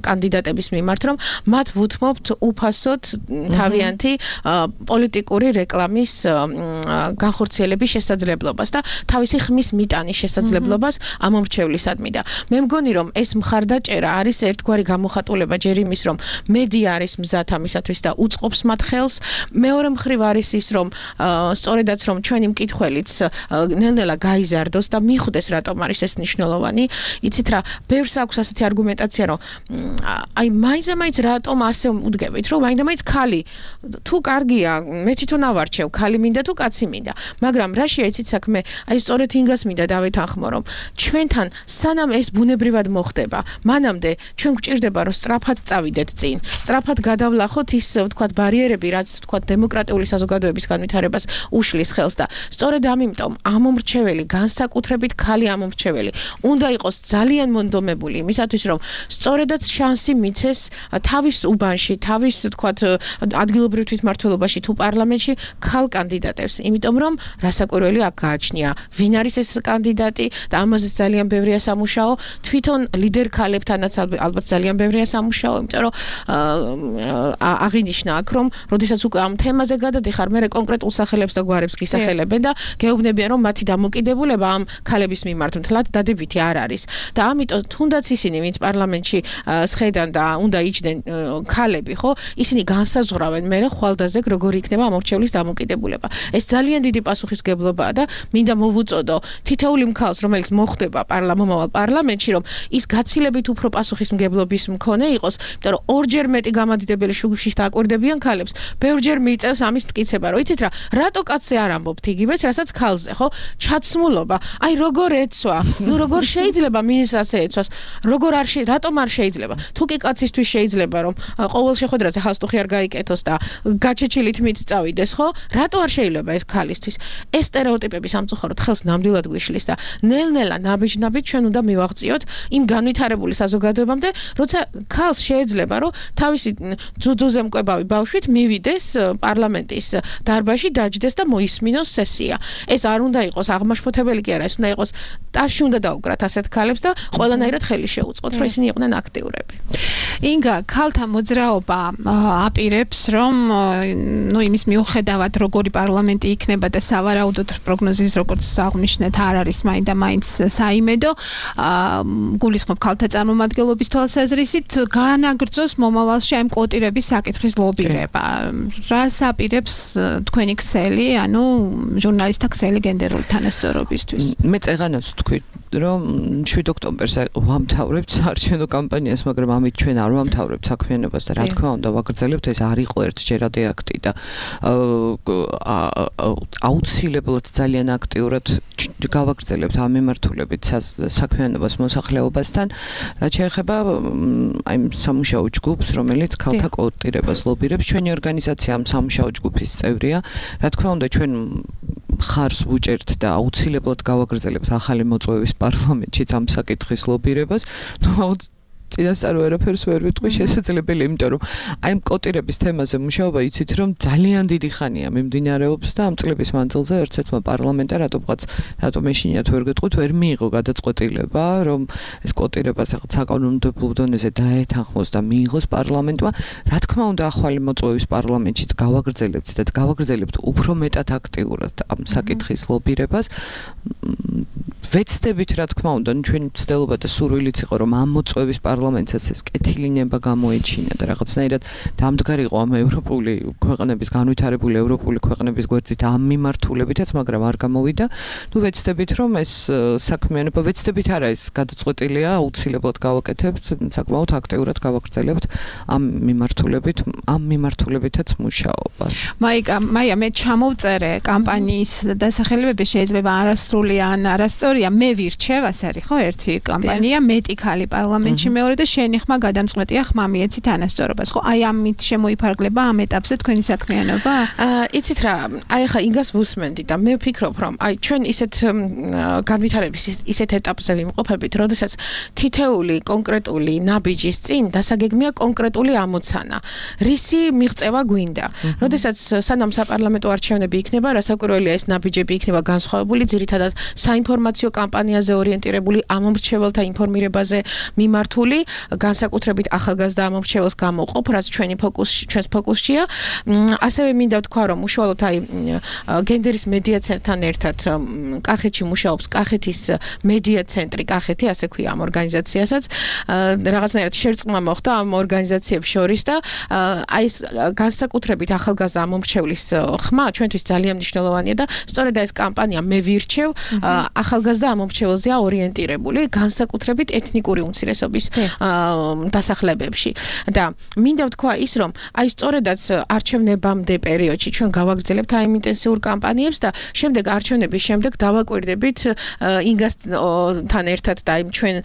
კანდიდატების მიმართ, რომ მათ ვუთმობთ უფასოდ თავიანთი პოლიტიკური რეკლამის განხორციელების შესაძლებლობას და თავისი ხმის მიტანის შესაძლებლობას ამომრჩევლისადმი და მე მგონი რომ ეს მხარდაჭერა არის ერთგვარი გამოხატულება ჯერ იმის რომ მედია არის მზად ამისათვის და უწყობს მათ ხელს მეორე მხრივ არის ის რომ სწორედაც რომ ჩვენი მკითხველიც ნელ-ნელა გაიზარდოს და მიხვდეს რატომ არის ეს მნიშვნელოვანი იცით რა ბევრს აქვს ასეთი არგუმენტაცია რომ აი მაინც-მაინც რატომ ასე უდგებით რომ მაინც-მაინც ქალი თუ კარგია მე თვითონ ავარჩევ ქალი მინდა თუ კაცი მინდა მაგრამ რაშია იცით საქმე აი სწორედ ინგას მინდა დავეთანხმო რომ ჩვენთან სანამ ეს ბუნებრივად მოხდება მანამდე ჩვენ გვჭირდება რომ სწრაფად წავიდეთ წინ სწრაფად გადავლახოთ ის ვთქვათ ბარიერები რაც ვთქვათ დემოკრატიული საზოგადოების განვითარებას უშლის ხელს და სწორედ ამიტომ ამომრჩეველი განსაკუთრებით ქალი ამომრჩეველი უნდა იყოს ძალიან მონდომებული იმისათვის რომ სწორედაც შანსი მიცეს თავის უბანში თავის ვთქვათ ადგილობრივ თვითმმართველობაში თუ პარლამენტში ქალ კანდიდატებს იმიტომ რომ რასაკვირველი აქ გააჩნია ვინ არის ეს კანდიდატი და ამაზე ძალიან ბევრია სამუშაო თვითონ ლიდერ ქალებთანაც ალბათ ძალიან ბევრია სამუშაო იმიტომ რომ აღინიშნა აქ რომ როდესაც უკვე ამ თემაზე გადადიხარ მე კონკრეტულ სახელებს და გვარებს გისახელებენ და გეუბნებიან რომ მათი დამოკიდებულება ამ ქალების მიმართ მთლად დადებითი არ არის და ამიტომ თუნდაც ისინი ვინც პარლამენტში სხედან და უნდა იჯდნენ ქალები ხო ისინი განსაზღვრავენ მე ხვალდაზე როგორი იქნება ამორჩევლის დამოკიდებულება ეს ძალიან დიდი პასუხისმგებლობაა და მინდა მოვუწოდო თითოეული მქალს რომელიც მოხდება პარლამენტ პარლამენტში რომ ის გაცილებით უფრო პასუხისმგებლობის მქონე იყოს იმიტომ რომ ორჯერ მეტი გამადიდებელი შუქში დააკვირდებიან ქალებს ბევრჯერ მიიწევს ამის მტკიცება რომ იცით რა რატო კაცზე არ ამბობთ იგივეც რასაც ქალზე ხო ჩაცმულობა აი როგორ ეცვა ნუ როგორ შეიძლება მინისტრს ეცვას როგორ არ შეიძლება რატომ არ შეიძლება თუ კი კაცისთვის შეიძლება რომ ყოველ შეხვედრაზე ხალხი არ გაიკეთოს და გაჩეჩილით მით წავიდეს ხო რატო არ შეიძლება ეს ქალისთვის ეს სტერეოტიპები სამწუხაროდ ხელს ნამდვილად გვიშლის და ნელ-ნელა ნაბიჯ-ნაბიჯ ჩვენ უნდა მივაღწიოთ იმ განვითარებული საზოგადოებამდე როცა ქალს შეიძლება რომ თავისი ძუძუზე მკვებავი ბავშვით მივიდეს პარლამენტის დარბაზში დაჯდეს და მოისმინოს სესია ეს არ უნდა იყოს აღმაშფოთებელი კი არა ეს უნდა იყოს ტაში უნდა დაუკრათ ასეთ ქალებს და ყველანაირად ხელი შეუწყოთ რომ ისინი იყვნენ აქტიურები ინგა ქალთა მოძრაობა აპირებს რომ ნუ იმის მიუხედავად როგორი პარლამენტი იქნება და სავარაუდოდ პროგნოზის როგორც აღნიშნეთ არ არის მაინდა მაინც საიმედო გულისხმობ ქალთა წარმომადგენლობის თვალსაზრისით განაგრძოს მომავალში ამ კვოტირების საკითხის ლობირება რას აპირებს თქვენი ქსელი ანუ ჟურნალისტთა ქსელი გენდერული თანასწორობისთვის მე წეღანაც თქვი რომ შვიდ ოქტომბერს ვამთავრებთ საარჩევნო კამპანიას მაგრამ ამით ჩვენ არ ვამთავრებთ საქმიანობას და რა თქმა უნდა ვაგრძელებთ ეს არ იყო ერთჯერადი აქტი და აუცილებლად ძალიან აქტიურად გავაგრძელებთ ამ მიმართულებით საქმიანობას მოსახლეობასთან რაც შეეხება აი სამუშაო ჯგუფს რომელიც ქალთა კვოტირებას ლობირებს ჩვენი ორგანიზაცია ამ სამუშაო ჯგუფის წევრია რა თქმა უნდა ჩვენ ხარს ვუჭერთ და აუცილებლად გავაგრძელებთ ახალი მოწვევის პარლამენტშიც ამ საკითხის ლობირებას ნუ წინასწარ ვერაფერს ვერ ვიტყვი შესაძლებელი იმიტომ რომ აი ამ კოტირების თემაზე მუშაობა იცით რომ ძალიან დიდი ხანია მიმდინარეობს და ამ წლების მანძილზე ერთ-ერთმა პარლამენტა რატომღაც რატომ ეშინიათ ვერ გეტყვით ვერ მიიღო გადაწყვეტილება რომ ეს კოტირება საკანონმდებლო დონეზე დაეთანხმოს და მიიღოს პარლამენტმა რა თქმა უნდა ახალი მოწვევის პარლამენტშიც გავაგრძელებთ და გავაგრძელებთ უფრო მეტად აქტიურად ამ საკითხის ლობირებას ვეცდებით რა თქმა უნდა ჩვენი ცდილობა და სურვილიც იყო რომ ამ მოწვევის პარლამენტსაც ეს კეთილინება გამოეჩინა და რაღაცნაირად დამდგარიყო ამ ევროპული ქვეყნების განვითარებული ევროპული ქვეყნების გვერდით ამ მიმართულებითაც მაგრამ არ გამოვიდა ნუ ვეცდებით რომ ეს საქმიანობა ვეცდებით არა ეს გადაწყვეტილია აუცილებლად გავაკეთებთ საკმაოდ აქტიურად გავაგრძელებთ ამ მიმართულებით ამ მიმართულებითაც მუშაობას მაიკა მაია მე ჩამოვწერე კამპანიის დასახელებები შეიძლება არასრული ან არასწორია მე ვირჩევ ასე არის ხო ერთი კამპანია მეტი ქალი პარლამენტში მეორე და შენი ხმა გადამწყვეტია ხმა მიეცი თანასწორობას ხო აი ამით შემოიფარგლება ამ ეტაპზე თქვენი საქმიანობა აა იცით რა აი ხა ინგას ვუსმენდი და მე ვფიქრობ რომ აი ჩვენ ისეთ განვითარების ისეთ ეტაპზე ვიმყოფებით როდესაც თითეული კონკრეტული ნაბიჯის წინ დასაგეგმია კონკრეტული ამოცანა რისი მიღწევა გვინდა როდესაც სანამ საპარლამენტო არჩევნები იქნება რასაკვირველია ეს ნაბიჯები იქნება განსხვავებული ძირითადად საინფორმაციო საინფორმაციო კამპანიაზე ორიენტირებული, ამომრჩეველთა ინფორმირებაზე მიმართული, განსაკუთრებით ახალგაზრდა ამომრჩეველს გამოყოფ, რაც ჩვენი ფოკუს ჩვენს ფოკუსშია. ასევე მინდა ვთქვა, რომ უშუალოდ აი გენდერის მედია ცენტრთან ერთად კახეთში მუშაობს კახეთის მედია ცენტრი კახეთი, ასე ქვია ამ ორგანიზაციასაც. რაღაცნაირად შერწყმა მოხდა ამ ორგანიზაციებს შორის და აი ეს განსაკუთრებით ახალგაზრდა ამომრჩევლის ხმა ჩვენთვის ძალიან მნიშვნელოვანია და სწორედ ეს კამპანია მე ვირჩევ ახალგაზრდა ამომრჩეველზეა ორიენტირებული, განსაკუთრებით ეთნიკური უმცირესობის დასახლებებში. და მინდა ვთქვა ის, რომ აი სწორედაც არჩევნებამდე პერიოდში ჩვენ გავაგრძელებთ აი ინტენსიურ კამპანიებს და შემდეგ არჩევნების შემდეგ დავაკვირდებით ინგასთან ერთად და იმ ჩვენ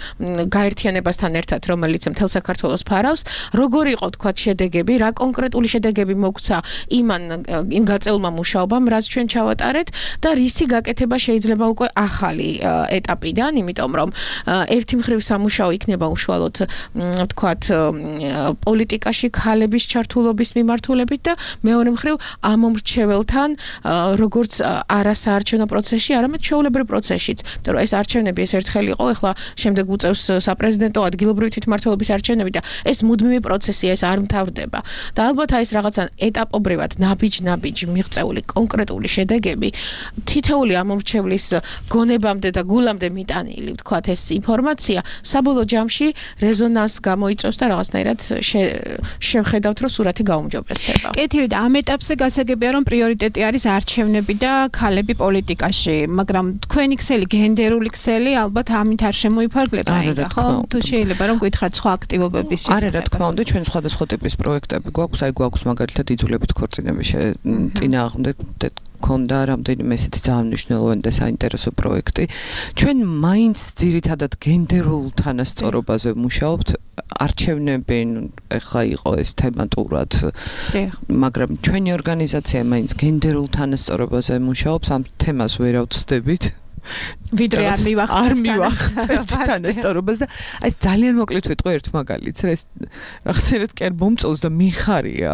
გაერთიანებასთან ერთად, რომელიც მთელ საქართველოს ფარავს, როგორი იყო თქვა შედეგები, რა კონკრეტული შედეგები მოგცა იმან იმ გაწეულმა მუშაობამ, რაც ჩვენ ჩავატარეთ და რისი გაკეთება შეიძლება უკვე ახალი ეტაპიდან, იმიტომ რომ ერთი მხრივ სამუშაო იქნება უშუალოდ ვთქვათ პოლიტიკაში ქალების ჩართულობის მიმართულებით და მეორე მხრივ ამომრჩეველთან როგორც არასაარჩევნო პროცესში, არამედ ჩვეულებრივ პროცესშიც. იმიტომ რომ ეს არჩევნები ეს ერთხელ იყო, ეხლა შემდეგ უწევს საპრეზიდენტო ადგილობრივი თვითმმართველობის არჩევნები და ეს მუდმივი პროცესია, ეს არ მთავრდება. და ალბათ აი ეს რაღაცა ეტაპობრივად ნაბიჯ-ნაბიჯ მიღწეული კონკრეტული შედეგები თითოეული ამომრჩევლის გონებამდე და გულამდე მიტანილი, ვთქვათ, ეს ინფორმაცია საბოლოო ჯამში რეზონანსს გამოიწვევს და რაღაცნაირად შევხედავთ, რომ სურათი გაუმჯობესდება. კეთილი და ამ ეტაპზე გასაგებია, რომ პრიორიტეტი არის არჩევნები და ქალები პოლიტიკაში, მაგრამ თქვენი ქსელი, გენდერული ქსელი ალბათ ამით არ შემოიფარგლება, ხო? თუ შეიძლება რომ გითხრათ სხვა აქტივობების შესახებ. არა, რა თქმა უნდა, ჩვენ სხვადასხვა ტიპის პროექტები გვაქვს, აი გვაქვს მაგალითად იძულებით ქორწინების წინააღმდეგ ქონდა რამდენიმე ესეთი ძალიან მნიშვნელოვანი და საინტერესო პროექტი. ჩვენ მაინც ძირითადად გენდერულ თანასწორობაზე ვმუშაობთ. არჩევნები ეხლა იყო ეს თემატურად, მაგრამ ჩვენი ორგანიზაცია მაინც გენდერულ თანასწორობაზე მუშაობს, ამ თემას ვერ ავწდებით. ვიდრე არ მივახცევთ თანასწორობას და აი ძალიან მოკლედ ვიტყვი ერთ მაგალითს, რა ეს რაღაცერად კი არ მომწონს და მიხარია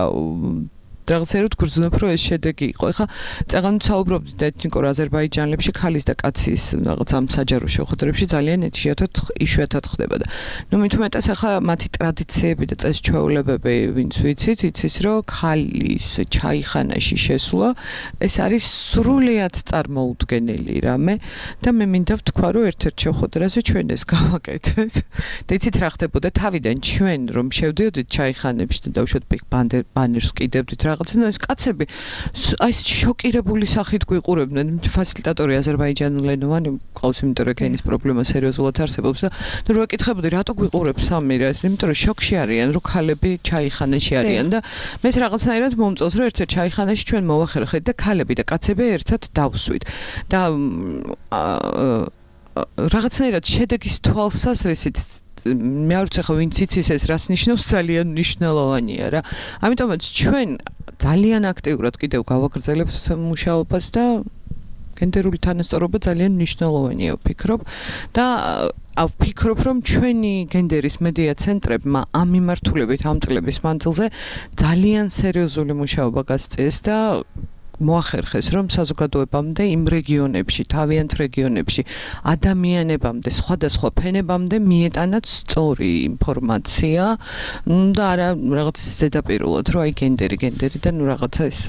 რაღაცერად გრძნობ, რომ ეს შედეგი იყო. ეხლა წეგან საუბრობთ ეთნიკურ აზერბაიჯანელებში ქალის და კაცის რაღაც ამ საჯარო შეხვედრებში ძალიან იშვიათად იშვიათად ხდება და ნუ მით უმეტეს ეხლა მათი ტრადიციები და წესჩვეულებები ვინც ვიცით, იცის რომ ქალის ჩაიხანაში შესვლა ეს არის სრულიად წარმოუდგენელი რამე და მე მინდა ვთქვა, რომ ერთ-ერთ შეხვედრაზე ჩვენ ეს გავაკეთეთ. და იცით რა ხდებოდა თავიდან ჩვენ რომ შევდიოდით ჩაიხანებში და დავუშვათ ბანერს კიდევდით რა რაღაცა ეს კაცები აი შოკირებული სახით გვიყურებდნენ. ფასილიტატორი აზერბაიჯანულენოვანი ყავს, იმიტომ რომ ენის პრობლემა სერიოზულად არსებობს და ნუ რა კითხებოდი, რატო გვიყურებს სამი რა ეს, იმიტომ რომ შოკში არიან, რომ ქალები ჩაიხანაში არიან და მე რაღაცნაირად მომწონს, რომ ერთ-ერთ ჩაიხანაში ჩვენ მოვახერხეთ და ქალები და კაცები ერთად დავსვით და რაღაცნაირად შედეგის თვალსაზრისით მე არ ვიცი ხო ვინც იცის ეს რას ნიშნავს, ძალიან მნიშვნელოვანია რა. ამიტომაც ჩვენ ძალიან აქტიურად კიდევ გავაგრძელებთ მუშაობას და გენდერული თანასწორობა ძალიან მნიშვნელოვანია ვფიქრობ და ვფიქრობ რომ ჩვენი გენდერის მედია ცენტრებმა ამ მიმართულებით ამ წლების მანძილზე ძალიან სერიოზული მუშაობა გასწიეს და მოახერხეს რომ საზოგადოებამდე იმ რეგიონებში, თავიანთ რეგიონებში ადამიანებამდე, სხვადასხვა ფენებამდე მიეტანათ სწორი ინფორმაცია და არა რაღაც ზედაპირულად, რომ აი გენდერი, გენდერი და ნუ რაღაცა ეს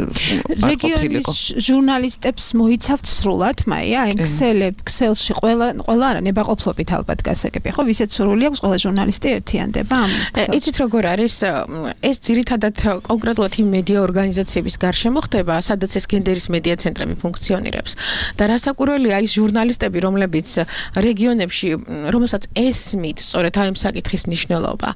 რეგიონის ჟურნალისტებს მოიცავთ სრულად, მაია, აი ქსელებ, ქსელში ყველა ყველა არა ნებაყოფლობით ალბათ გასაგებია, ხო, ვისაც სრული აქვს, ყველა ჟურნალისტი ერთიანდება ამ. იცით როგორ არის, ეს ძირითადად კონკრეტულად იმ მედია ორგანიზაციების გარშემო ხდება, სადაც ეს გენდერის მედია ცენტრები ფუნქციონირებს. და რასაკვირველია ის ჟურნალისტები, რომლებიც რეგიონებში, რომელსაც ესმით სწორედ აი ამ საკითხის მნიშვნელობა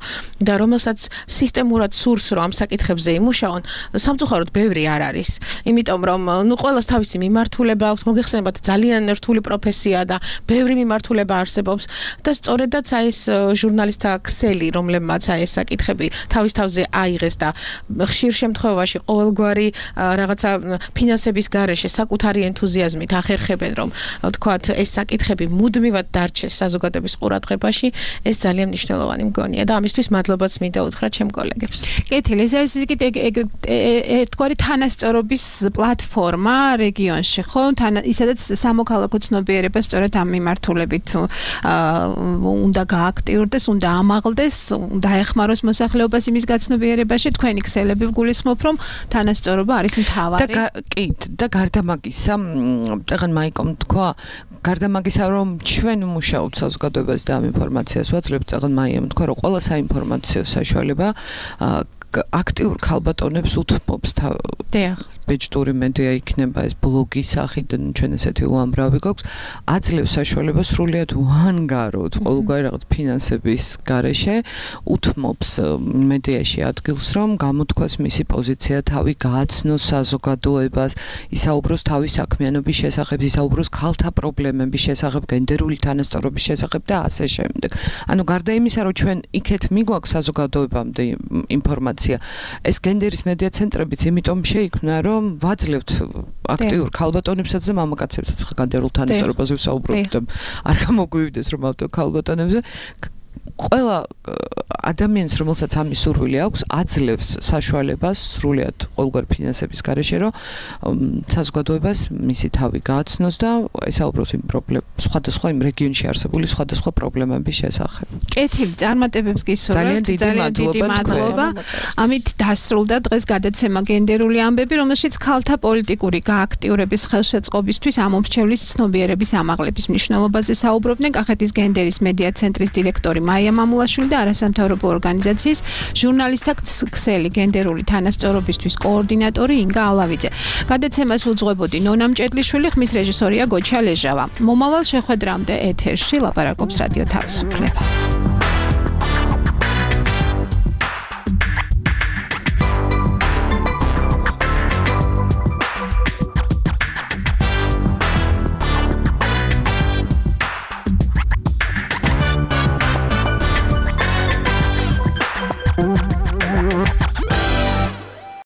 და რომელსაც სისტემურად სურს, რომ ამ საკითხებზე იმუშაონ, სამწუხაროდ ბევრი არ არის. იმიტომ რომ ნუ ყველას თავისი მიმართულება აქვს, მოგეხსენებათ ძალიან რთული პროფესია და ბევრი მიმართულება არსებობს და სწორედაც აი ეს ჟურნალისტთა ქსელი, რომლებმაც აი ეს საკითხები თავის თავზე აიღეს და ხშირ შემთხვევაში ყოველგვარი რაღაცა ფინანსების გარეშე საკუთარი ენთუზიაზმით ახერხებენ, რომ თქვათ ეს საკითხები მუდმივად დარჩეს საზოგადოების ყურადღებაში, ეს ძალიან მნიშვნელოვანი მგონია და ამისთვის მადლობაც მინდა უთხრა ჩემ კოლეგებს. კეთილი, ეს არის ერთგვარი თანასწორობის პლატფორმა რეგიონში, ხო? ისედაც სამოქალაქო ცნობიერება სწორედ ამ მიმართულებით უნდა გააქტიურდეს, უნდა ამაღლდეს, უნდა ეხმაროს მოსახლეობას იმის გაცნობიერებაში. თქვენი ქსელები ვგულისხმობ, რომ თანასწორობა არის მთავარი. და კი, და გარდა მაგისა, წაღან მაიკომ თქვა, გარდა მაგისა, რომ ჩვენ მუშაობთ საზოგადოებას და ამ ინფორმაციას ვაძლევთ, წაღან მაიამ თქვა, რომ ყველა საინფორმაციო საშუალება აქტიურ ქალბატონებს უთმობს ბეჭდური მედია იქნება ეს ბლოგის სახით ჩვენ ესეთი უამრავი გვაქვს აძლევს საშუალებას სრულიად უანგაროთ ყოველგვარი რაღაც ფინანსების გარეშე უთმობს მედიაში ადგილს რომ გამოთქვას მისი პოზიცია თავი გააცნოს საზოგადოებას ისაუბროს თავის საქმიანობის შესახებ ისაუბროს ქალთა პრობლემების შესახებ გენდერული თანასწორობის შესახებ და ასე შემდეგ ანუ გარდა იმისა რომ ჩვენ იქეთ მიგვაქვს საზოგადოებამდე ინფორმაცია ეს გენდერის მედია ცენტრებიც იმიტომ შეიქმნა რომ ვაძლევთ აქტიურ ქალბატონებსაც და მამაკაცებსაც ხა გენდერულ თანასწორობაზე ვსაუბრობთ და არ გამოგვივიდეს რომ ავტო ქალბატონებზე ყველა ადამიანს რომელსაც ამის სურვილი აქვს აძლევს საშუალებას სრულიად ყოველგვარი ფინანსების გარეშე რომ საზოგადოებას მისი თავი გააცნოს და ესაუბროს იმ პრობლემ სხვადასხვა იმ რეგიონში არსებული სხვადასხვა პრობლემების შესახებ. კეთილი წარმატებებს გისურვებთ. ძალიან დიდი მადლობა. ამით დასრულდა დღეს გადაცემა გენდერული ამბები, რომელშიც ქალთა პოლიტიკური გააქტიურების ხელშეწყობისთვის ამომრჩევლის ცნობიერების ამაღლების მნიშვნელობაზე საუბრობდნენ კახეთის გენდერის მედია ცენტრის დირექტორი მაია მამულაშვილი და არასამთავრობო ორგანიზაციის ჟურნალისტთა ქსელი გენდერული თანასწორობისთვის კოორდინატორი ინგა ალავიძე. გადაცემას უძღვებოდი ნონა მჭედლიშვილი, ხმის რეჟისორია გოჩა ლეჟავა. მომავალ შეხვედრამდე ეთერში ლაპარაკობს რადიო თავისუფლება.